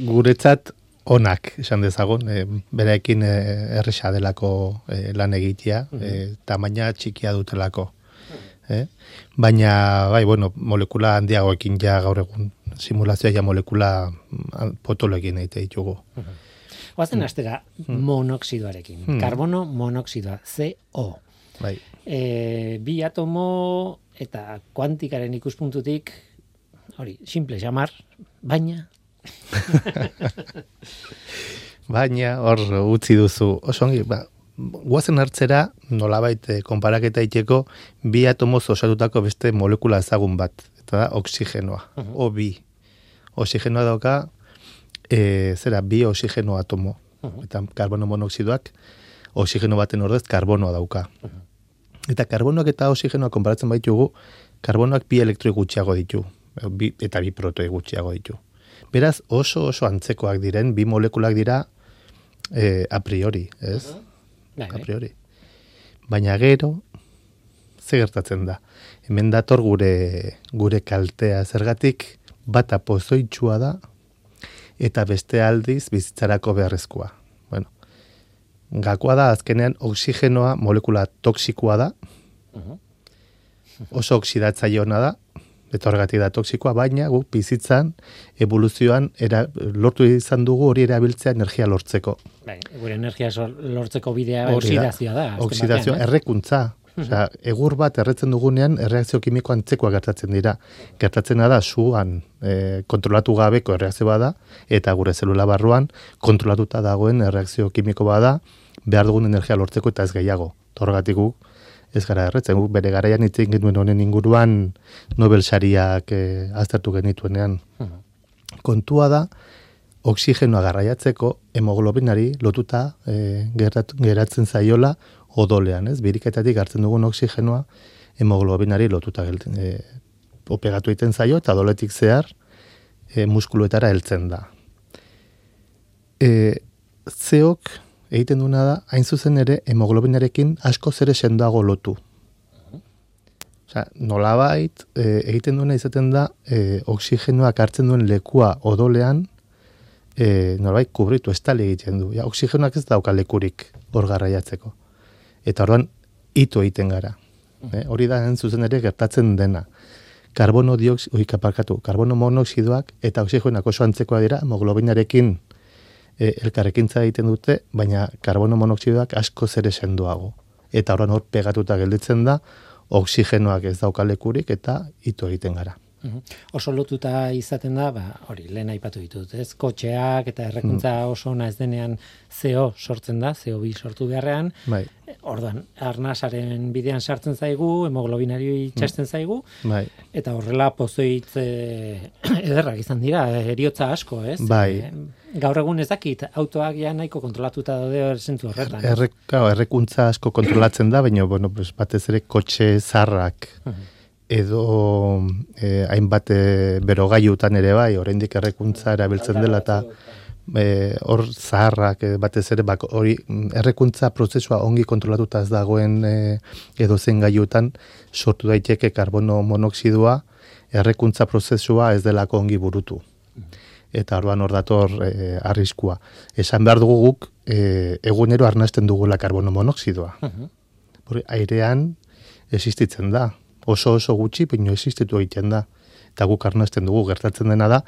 guretzat onak, esan dezagun, e, bereekin e, erresa delako e, lan egitea, e, tamaina txikia dutelako. Eh? Baina, bai, bueno, molekula handiagoekin ja gaur egun, simulazioa ja molekula potoloekin egite ditugu. Oazen astera, monoxidoarekin, hmm. karbono monoxidoa, C O. Bai. E, bi atomo eta kuantikaren ikuspuntutik, hori, simple jamar, baina... baina, hor utzi duzu, osongi, ba, guazen hartzera, nolabait konparaketa iteko, bi atomoz osatutako beste molekula ezagun bat, eta da, oksigenoa, uh-huh. O bi. Oxigenoa dauka, e, zera, bi oxigeno atomo, uh-huh. Eta karbono monoxidoak, oxigeno baten ordez, karbonoa dauka. Uh-huh. Eta karbonoak eta oxigenoa konparatzen baitugu, karbonoak bi elektroi gutxiago ditu. Bi, eta bi protoi gutxiago ditu. Beraz, oso oso antzekoak diren, bi molekulak dira eh, a priori, ez? Uh-huh. A priori. Baina gero, ze gertatzen da? Hemen dator gure, gure kaltea zergatik, bata pozoitxua da, eta beste aldiz bizitzarako beharrezkoa. Bueno, gakoa da, azkenean, oxigenoa molekula toksikoa da, uh-huh. Oso oxidatzaileona da, eta horregatik da toksikoa, baina guk bizitzan, evoluzioan, era, lortu izan dugu hori erabiltzea energia lortzeko. Bai, gure energia lortzeko bidea oksidazioa da. Oksidazioa, batean, eh? Errekuntza. Osea, egur bat erretzen dugunean, erreakzio kimiko antzekoa gertatzen dira. Gertatzen da, suan e, kontrolatu gabeko erreakzio bada, eta gure zelula barruan, kontrolatuta dagoen erreakzio kimiko bada, behar dugun energia lortzeko eta ez gehiago. Horregatik guk, ez gara erretzen, guk bere garaian itzen genuen honen inguruan Nobel sariak eh, aztertu genituenean. Uh-huh. Kontua da, oksigenoa garraiatzeko hemoglobinari lotuta eh, gerat, geratzen zaiola odolean, ez? Biriketatik hartzen dugun oksigenoa hemoglobinari lotuta gelten, eh, opegatu egiten zaio eta odoletik zehar eh, muskuluetara heltzen da. Eh, zeok egiten duna da, hain zuzen ere, hemoglobinarekin asko zere sendoago lotu. Osea, nolabait, e, egiten duena izaten da, e, oksigenoak hartzen duen lekua odolean, e, nolabait kubritu, estali egiten du. Ja, oksigenoak ez dauka lekurik hor garraiatzeko. Eta orduan, ito egiten gara. E, hori da, zuzen ere, gertatzen dena. Karbono dioksido, oika parkatu, karbono monoxidoak eta oksigenoak oso antzekoa dira, hemoglobinarekin e, elkarrekintza egiten dute, baina karbono monoxidoak asko zere sendoago. Eta orduan hor pegatuta gelditzen da, oksigenoak ez daukalekurik eta ito egiten gara. Uhum. Oso lotuta izaten da, ba, hori, lehen aipatu ditut, ez? Kotxeak eta errekuntza oso ona ez denean C O sortzen da, C O bi sortu beharrean. Bai. Orduan, arnasaren bidean sartzen zaigu, hemoglobinari itxasten zaigu, bai. Eta horrela pozoitz e, ederrak izan dira, eriotza asko, ez? Bai. E, gaur egun ez dakit, autoak ja nahiko kontrolatuta daude zentzu horretan. Errek, errekuntza asko kontrolatzen da, baina bueno, pues, batez ere kotxe zarrak, uh-huh. edo eh, hainbat eh, berogailutan ere bai, oraindik errekuntza erabiltzen dela eta eh, hor zaharrak eh, batez ere bak, hori errekuntza prozesua ongi kontrolatuta ez dagoen eh, edo zen gailutan sortu daiteke karbono monoxidua, errekuntza prozesua ez delako ongi burutu. Eta orduan hor dator eh, arriskua. Esan behar dugu guk eh, egunero arnasten dugula karbono monoxidua. Uh-huh. Airean existitzen da. Oso oso gutxi, baina existitu egiten da. Eta guk arnasten dugu, gertatzen dena da,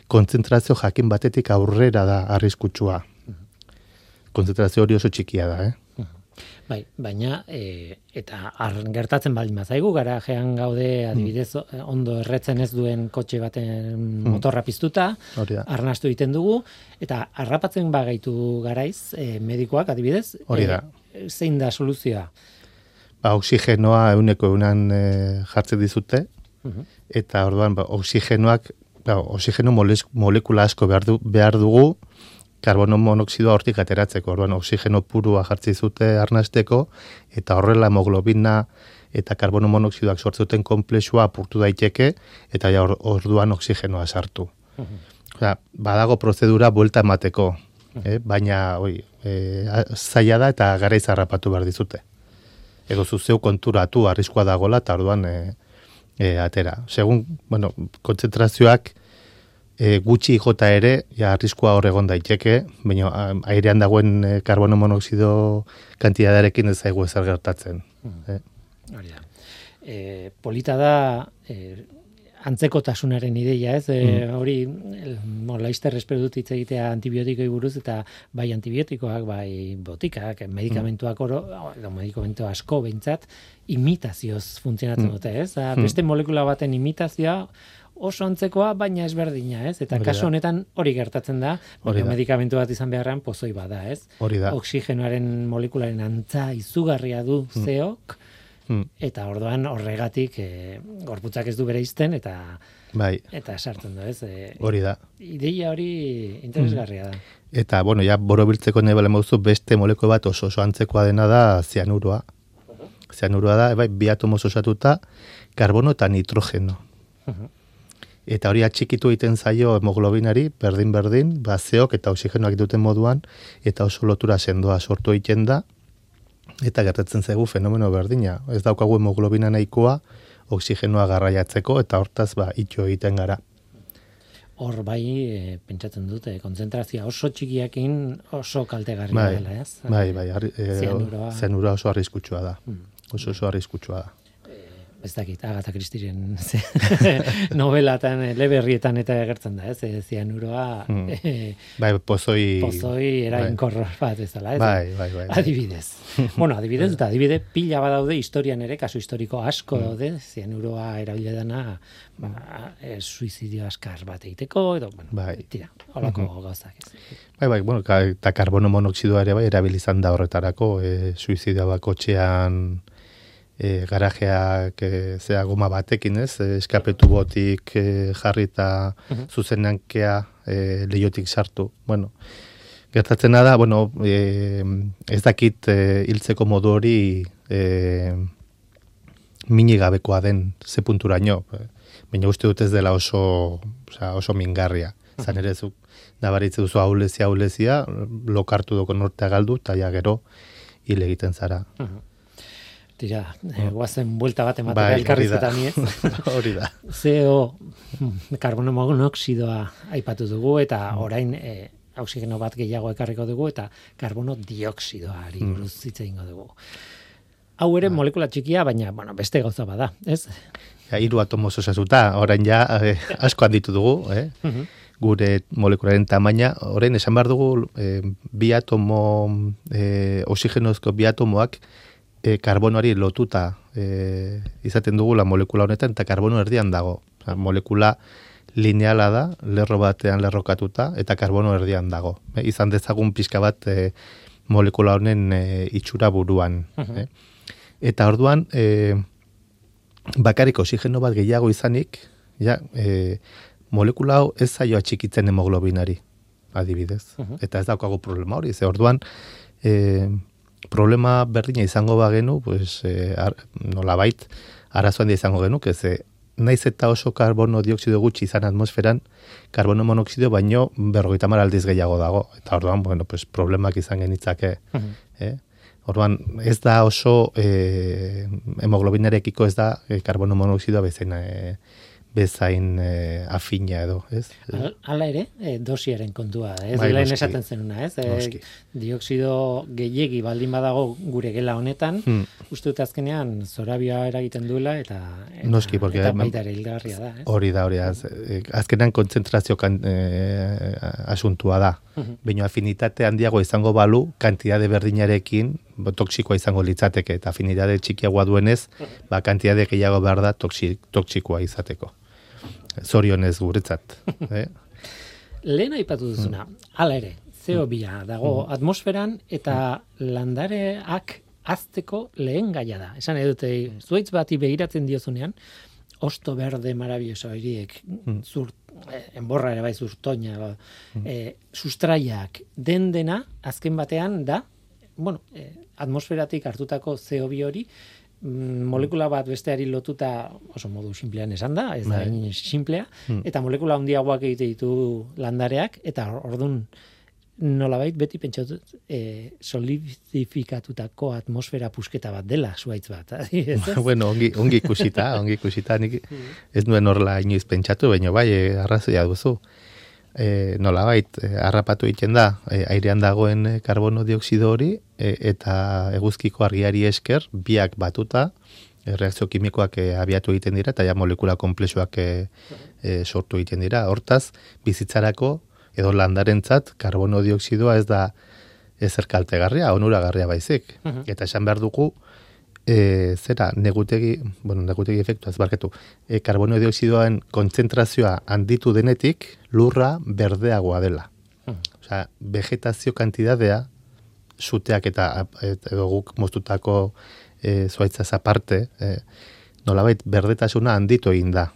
kontzentrazio jakin batetik aurrera da arriskutsua. Kontzentrazio hori oso txikia da, eh? Bai, baina, e, eta ar, gertatzen baldin bazaigu, garajean gaude, adibidez, ondo erretzen ez duen kotxe baten motorra piztuta, arnastu egiten dugu, eta harrapatzen bagaitu garaiz, e, medikoak, adibidez, hori da. E, zein da soluzioa? Ba, oksigenoa euneko eunan e, jartzen dizute, uh-huh. eta orduan, ba, oksigenoak, ba, oksigeno molekula asko behar, du, behar dugu, karbono monoxidoa hortik ateratzeko, orduan oksigeno purua jartzi zute arnasteko, eta horrela hemoglobina eta karbono monoxidoak sortzuten konplexua apurtu daiteke, eta ja orduan oksigenoa sartu. Uh-huh. Osea, badago prozedura buelta emateko, uh-huh. eh? baina oi, e, zaila da eta garaiz harrapatu behar dizute. Edo zuzeu konturatu arriskua dagola, eta orduan e, e, atera. Segun, bueno, kontzentrazioak e, gutxi jota ere, ja, arriskua hor egon daiteke, baina airean dagoen e, karbono monoxido kantidadarekin ez zaigu ezer gertatzen. Mm. Eh? Hori da. E, polita da, e, antzekotasunaren ideia, ez? E, mm. Hori, laizter espero dut hitz egitea antibiotikoi buruz, eta bai antibiotikoak, bai botikak, medikamentuak oro, edo medikamentu asko behintzat, imitazioz funtzionatzen dute, ez? Da, beste molekula baten imitazioa oso antzekoa, baina ezberdina, ez? Eta kasu honetan hori gertatzen da, baina medikamentu bat izan beharrean pozoi bada, ez? Hori da. Oksigenoaren molekularen antza izugarria du zeok, Hmm. eta orduan horregatik e, gorputzak ez du bere izten eta bai. eta sartzen da, ez? E, hori da. Ideia hori interesgarria da. Eta, bueno, ja, borobiltzeko nahi bale mauzu, beste moleko bat oso oso antzekoa dena da zianuroa. Uh-huh. Zianuroa da, bai, bi atomoz osatuta, karbono eta nitrogeno. Uh-huh. Eta hori atxikitu egiten zaio hemoglobinari, berdin-berdin, bazeok eta oksigenoak duten moduan, eta oso lotura sendoa sortu egiten da, eta gertatzen zaigu fenomeno berdina. Ez daukagu hemoglobina nahikoa oksigenoa garraiatzeko eta hortaz ba itxo egiten gara. Hor bai, e, pentsatzen dute, kontzentrazioa oso txikiakin oso kaltegarria bai, dela, ez? Bai, bai, e, zianuroa. Zianura oso arriskutsua da. Hmm. Oso oso arriskutsua da. Ez dakit, Agatha Christieren novelatan, eleberrietan eta egertzen da, ez? Zianuroa... Mm. E, bai, pozoi... Pozoi erainkorro bat ez dela, ez? Bai, bai, bai. Adibidez. bueno, adibidez, eta adibide pila badaude historian ere, kasu historiko asko daude, zianuroa erabile dana, ba, e, suizidio askar bat egiteko, edo, bueno, bai. tira, holako mm-hmm. gauzak ez. Bai, bai, bueno, eta karbono monoxidoa ere bai, erabilizan da horretarako, e, suizidioa bakotxean... E, garajeak e, zea goma batekin, ez? E, eskapetu botik e, jarrita uh-huh. zuzenankea e, lehiotik sartu. Bueno, gertatzen da, bueno, e, ez dakit e, hiltzeko modu hori e, minigabekoa den ze punturaino. Baina uste dut ez dela oso, oza, oso mingarria. Uh-huh. Zan ere zuk nabaritze duzu aulezia, aulezia, lokartu doko nortea galdu, eta ja gero hil egiten zara. Uh-huh. tira, e, guazen buelta bat ematera Bai, elkarrizketan ez. Hori da. C O, karbono monoxidoa aipatu dugu, eta orain e, oxigeno bat gehiago ekarriko dugu, eta karbono dioksidoari buruz hitz egingo dugu. Hau ere molekula txikia, baina bueno, beste gauza bada, ez? Ja, hiru atomo osatuta, orain ja eh, asko handitu dugu, eh? Uh-huh. Gure molekularen tamaina, orain esan behar dugu eh, bi atomo, eh, oxigenozko bi atomoak eh, karbonoari lotuta eh, izaten dugu la molekula honetan, eta karbono erdian dago. O sea, molekula lineala da, lerro batean lerrokatuta, eta karbono erdian dago. Eh, izan dezagun pixka bat eh, molekula honen eh, itxura buruan. Uh-huh. eh? Eta orduan, eh, bakarrik oxigeno bat gehiago izanik, ja, e, molekula hau ez zaio atxikitzen hemoglobinari, adibidez. Uh-huh. Eta ez daukagu problema hori. Ze orduan, e, problema berdina izango bagenu, pues, e, ar, nolabait, arazoan da izango genuk, ez naiz eta oso karbono dioksido gutxi izan atmosferan, karbono monoxido baino berrogeita hamar aldiz gehiago dago. Eta orduan, bueno, pues, problemak izan genitzake. Uh-huh. eh? Orduan, ez da oso eh, hemoglobinarekiko ez da eh, karbono monoxidoa bezain, eh, bezain eh, afina edo, ez? Hala ere, eh, dosiaren kontua, ez? Bai, Lehen noski. esaten zenuna, ez? Noski. Eh, dioksido gehiegi baldin badago gure gela honetan, hmm. uste dut azkenean zorabioa eragiten duela, eta, eta, Noski, porque, eta baita ere hilgarria da, ez? Hori da, hori da. Azkenean kontzentrazio kan, eh, asuntua da. Uh-huh. Baina afinitate handiago izango balu, kantitate berdinarekin, toksikoa izango litzateke, eta afinitate txikiagoa duenez, ba, kantitate gehiago behar da toksik, toksikoa izateko. Zorionez guretzat. eh? Lehen aipatu duzuna, hala ere, C O bia dago atmosferan, eta landareak azteko lehen gaia da. Esan edute, zuaitz bati begiratzen diozunean, osto berde maravilloso horiek, zur, eh, enborra ere bai zurtoina, eh, sustraiak den dena, azken batean da, bueno, eh, atmosferatik hartutako C O bi hori, mm, molekula bat besteari lotuta oso modu simplean esan da, ez da hain simplea, eta molekula handiagoak egite ditu landareak, eta ordun nolabait beti pentsatu eh, solidifikatutako atmosfera pusketa bat dela zuaitz bat. Ez? Bueno, ongi, ongi ikusita, ongi ikusita, nik ez nuen horrela inoiz pentsatu, baina bai, eh, arrazoia duzu. E, nolabait, e, harrapatu egiten da, e, airean dagoen e, karbono dioksido hori, e, eta eguzkiko argiari esker, biak batuta, e, reakzio kimikoak e, abiatu egiten dira, eta ja molekula komplexuak e, e, sortu egiten dira. Hortaz, bizitzarako, edo landarentzat, karbono dioksidoa ez da ezer kaltegarria, onuragarria baizik. Uh-huh. Eta esan behar dugu, e, zera, negutegi, bueno, negutegi efektua, ez barketu, e, karbono dioksidoaren kontzentrazioa handitu denetik, lurra berdeagoa dela. Uh-huh. Osea, vegetazio kantidadea, suteak eta edo guk moztutako e, zuaitzaz aparte, e, nolabait berdetasuna handitu egin da.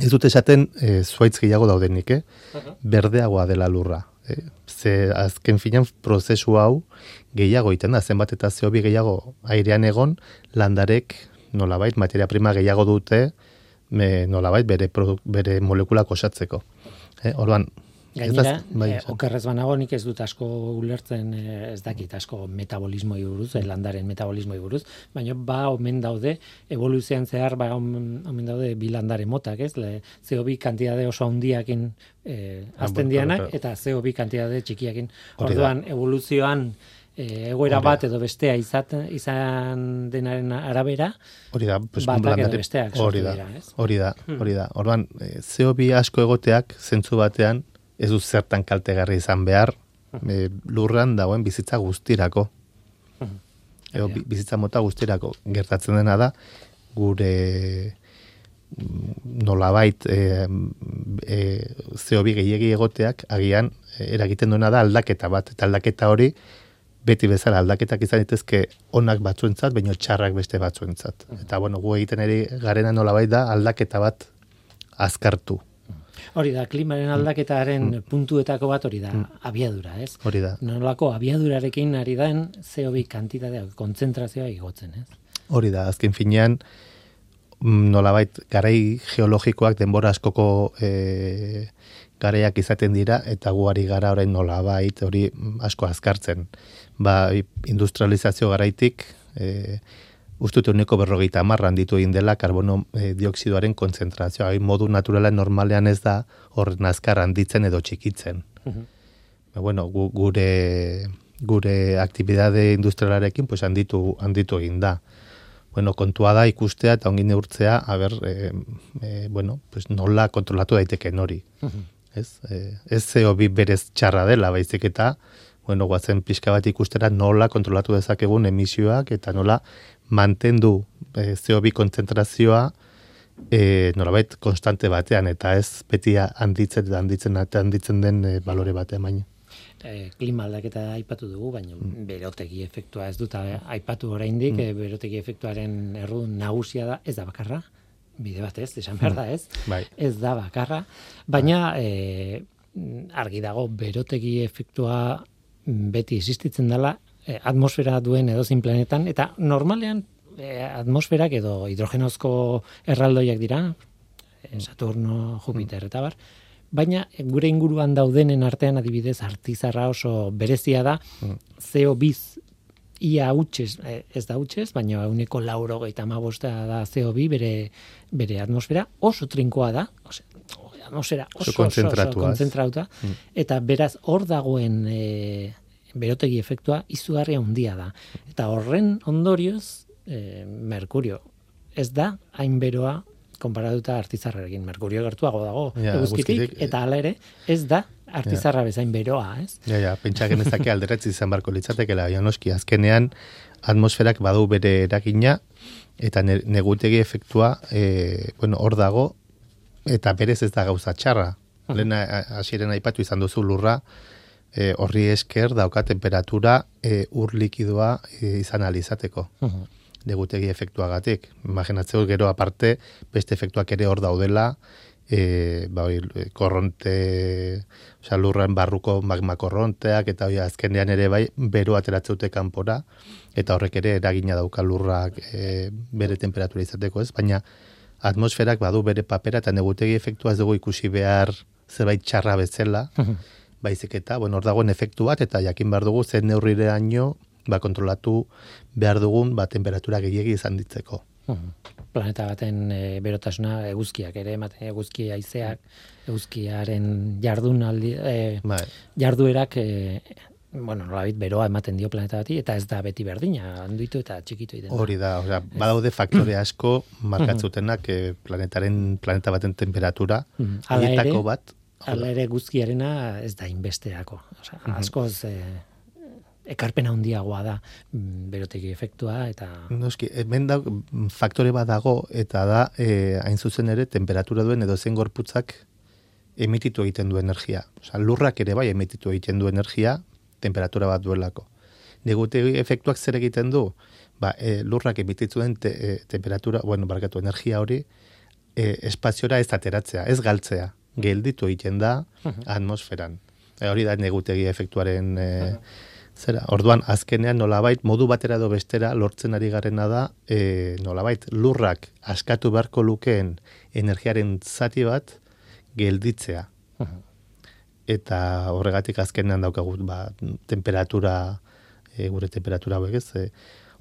Ez dut esaten e, zuaitz gehiago daudenik, eh? Uh-huh. Berdeagoa dela lurra. Eh? Ze azken finan prozesu hau gehiago iten da, zenbat eta C O bi gehiago airean egon, landarek nolabait materia prima gehiago dute me, nolabait bere, produk, bere molekulak osatzeko. Eh? Orduan, gainera, bai, eh, okerrez banago nik ez dut asko ulertzen, eh, ez dakit asko metabolismoi buruz, eh, landaren metabolismoi buruz, baina ba omen daude, evoluzioan zehar ba omen, omen daude bi landare motak, ez? Le, C O bi kantitate oso handiakin eh, azten dianak, eta C O bi kantitate txikiakin. Orduan, evoluzioan E, egoera bat edo bestea izat, izan denaren arabera, hori da, pues, batak edo besteak sortu dira, ez? Hori da, hori da. Orduan, C O bi asko egoteak, zentzu batean, ez du zertan kaltegarri izan behar, e, lurran dagoen bizitza guztirako. Edo bizitza mota guztirako. Gertatzen dena da, gure nolabait e, e, C O bi gehiegi egoteak, agian, eragiten duena da aldaketa bat, eta aldaketa hori, beti bezala aldaketak izan ditezke onak batzuentzat, baina txarrak beste batzuentzat. Eta bueno, gu egiten ere garena nolabait da aldaketa bat azkartu. Hori da, klimaren aldaketaren mm. puntuetako bat hori da, mm. abiadura, ez? Hori da. Nolako abiadurarekin ari den C O bi kantitatea, kontzentrazioa igotzen, ez? Hori da, azken finean, nolabait garai geologikoak denbora askoko e, garaiak izaten dira, eta guari gara orain nolabait hori asko azkartzen. Ba, industrializazio garaitik, e, ustute uneko berrogeita hamarran ditu egin dela karbono e, dioksidoaren kontzentrazioa. Hai, modu naturalean normalean ez da horren azkar handitzen edo txikitzen. Uh-huh. Bueno, gu, gure gure aktibidade industrialarekin pues handitu handitu egin da. Bueno, kontua da ikustea eta ongi neurtzea, a ber, e, e, bueno, pues nola kontrolatu daiteken hori. Uh-huh. Ez, e, ez C O bi berez txarra dela, baizik eta, bueno, guazen pixka bat ikustera nola kontrolatu dezakegun emisioak eta nola mantendu e, C O bi kontzentrazioa e, nolabait konstante batean eta ez beti handitzen handitzen handitzen den e, balore batean baina. E, klima aldaketa aipatu dugu, baina mm. berotegi efektua ez dut aipatu oraindik, mm. e, berotegi efektuaren errudun nagusia da, ez da bakarra, bide bat ez, esan behar da ez, bai. Ez da bakarra, baina e, argi dago berotegi efektua beti existitzen dela e, atmosfera duen edozein planetan, eta normalean e, atmosferak edo hidrogenozko erraldoiak dira, e, Saturno, Jupiter eta bar, baina gure inguruan daudenen artean adibidez artizarra oso berezia da, mm. C O bi ia hutsez, ez da hutsez, baina ehuneko laurogeita hamabosta da C O bi bere, bere atmosfera, oso trinkoa da, ose, atmosfera oso, oso, oso, oso konzentrauta, mm. eta beraz hor dagoen e, berotegi efektua izugarria handia da. Eta horren ondorioz, e, Merkurio ez da hain beroa konparatuta artizarrarekin. Merkurio gertuago dago ja, eguzkitik, eta hala ere ez da artizarra ja. Bezain beroa, ez? Ja, ja, pentsa genezake alderetzi izan barko litzatekela, noski, azkenean atmosferak badu bere eragina, eta negutegi efektua, e, bueno, hor dago, eta berez ez da gauza txarra. Uh-huh. Lehen hasieren aipatu izan duzu lurra, e, horri esker dauka temperatura e, ur likidoa e, izan alizateko. Uh-huh. Negutegi efektuagatik. Imaginatzeu gero aparte, beste efektuak ere hor daudela, e, ba, korronte, osea, lurran barruko magma korronteak, eta hori azkenean ere bai, bero ateratzeute kanpora, eta horrek ere eragina dauka lurrak e, bere temperatura izateko, ez? Baina atmosferak badu bere papera, eta negutegi efektua ez dugu ikusi behar zerbait txarra bezala, baizik eta, bueno, hor dagoen efektu bat, eta jakin behar dugu zen neurrireaino, ba, kontrolatu behar dugun ba, temperatura gehiegi izan ditzeko. Uh-huh. Planeta baten e, berotasuna eguzkiak ere, ematen eguzki haizeak, eguzkiaren jardunaldi, e, bai. jarduerak, e, bueno, nolabait beroa ematen dio planeta bati, eta ez da beti berdina, handitu eta txikitu egiten. Hori da, osea, badaude faktore asko markatzutenak e, planetaren, planeta baten temperatura, uh-huh. horietako bat. Hala ere guzkiarena ez da inbesteako. Osea, uh-huh. askoz... E, ekarpena handiagoa da berotegi efektua eta noski hemen da faktore bat dago eta da e, hain zuzen ere temperatura duen edo zen gorputzak emititu egiten du energia. Osea, lurrak ere bai emititu egiten du energia temperatura bat duelako. Negutegi efektuak zer egiten du? Ba, e, lurrak emititu den te, e, temperatura, bueno, barkatu energia hori e, espaziora ez ateratzea, ez galtzea. Gelditu egiten da uh-huh. atmosferan. E, hori da negutegi efektuaren e, uh-huh. Zera, orduan, azkenean nolabait, modu batera edo bestera lortzen ari garena da, e, nolabait, lurrak askatu beharko lukeen energiaren zati bat gelditzea. Uh-huh. Eta horregatik azkenean daukagut, ba, temperatura, e, gure temperatura hauek ez, e,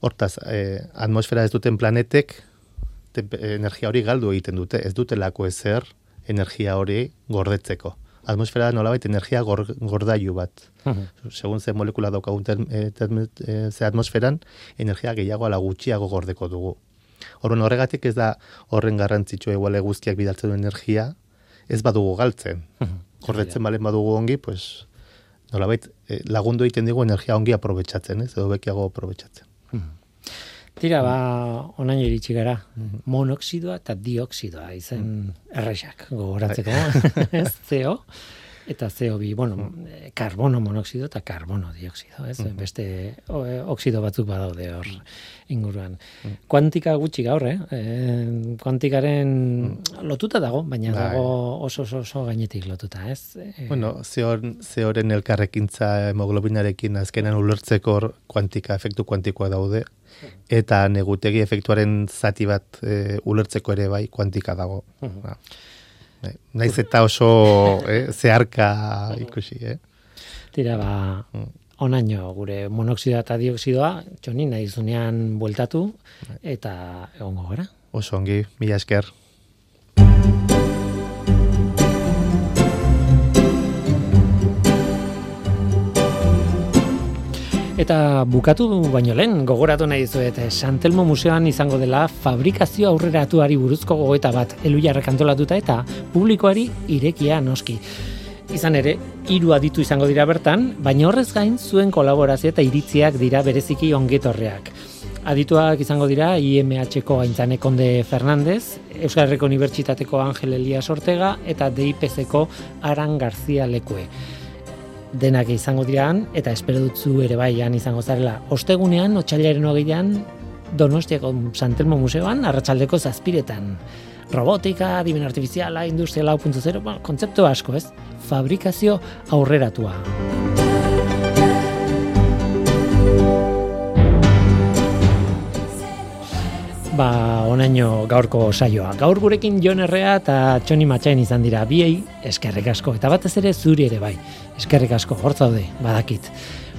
hortaz, e, atmosfera ez duten planetek tempe, energia hori galdu egiten dute, ez dutelako ezer energia hori gordetzeko. Atmosfera nolabait energia gor, gordailu bat. Uh-huh. Segun ze molekula daukagun term, term, ze atmosferan, energia gehiago ala gutxiago gordeko dugu. Orduan horregatik ez da horren garrantzitsua igual eguzkiak bidaltzen du energia, ez badugu galtzen. Uh-huh. Gordetzen balen badugu ongi, pues nolabait lagundu egiten digu energia ongi aprobetxatzen, ez? Edo bekiago aprobetxatzen. Uh-huh. Tira, ba, onaino iritsi gara, monoxidoa eta dioxidoa izen errexak gogoratzeko, ez, C O eta C O bi, bueno, karbono monoxido eta karbono dioxido, ez, beste oxido batzuk badaude hor inguruan. Kuantika gutxi gaur, eh? E, kuantikaren lotuta dago, baina dago oso oso, oso gainetik lotuta, ez? E, bueno, zeoren elkarrekintza hemoglobinarekin azkenan ulertzeko kuantika, efektu kuantikoa daude, eta negutegi efektuaren zati bat e, ulertzeko ere bai kuantika dago. Uh-huh. Naiz eta oso eh, zeharka ikusi, eh? Tira, ba, onaino gure monoxidoa eta dioxidoa, Txoni, nahi zunean bueltatu, eta egongo gara. Oso ongi, mila esker. Eta bukatu baino lehen, gogoratu nahi dizuet, San Telmo Museoan izango dela fabrikazio aurreratuari buruzko gogoeta bat Elhuyarrek antolatuta eta publikoari irekia noski. Izan ere, hiru aditu izango dira bertan, baina horrez gain zuen kolaborazio eta iritziak dira bereziki ongetorreak. Adituak izango dira I M H-ko Aintzane Konde Fernandez, Euskal Herriko Unibertsitateko Angel Elias Ortega eta D I P C-ko Aran Garzia Lekue. Denak izango diran, eta espero dutzu ere baian izango zarela. Ostegunean, otsailaren hogeian, Donostiako San Telmo Museoan, arratsaldeko zazpiretan. Robotika, adimen artifiziala, industria lau puntu zero, bueno, kontzeptu asko, ez? Fabrikazio aurreratua. Ba, onaino gaurko saioa. Gaur gurekin Jon Errea eta Txoni Matxain izan dira, biei eskerrik asko, eta batez ere zuri ere bai. Eskerrik asko, hor zaude, badakit.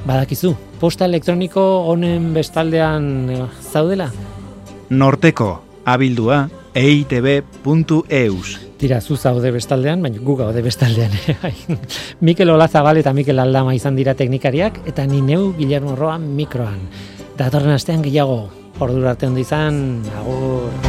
Badakizu, posta elektroniko honen bestaldean zaudela? Norteko, abildua, e i te be puntu e u s. Tira, zu zaude bestaldean, baina gu gaude bestaldean. Mikel Olazabal eta Mikel Aldama izan dira teknikariak, eta ni neu Guillermo Roa mikroan. Datorren astean gehiago, ordura arte ondo izan, agur.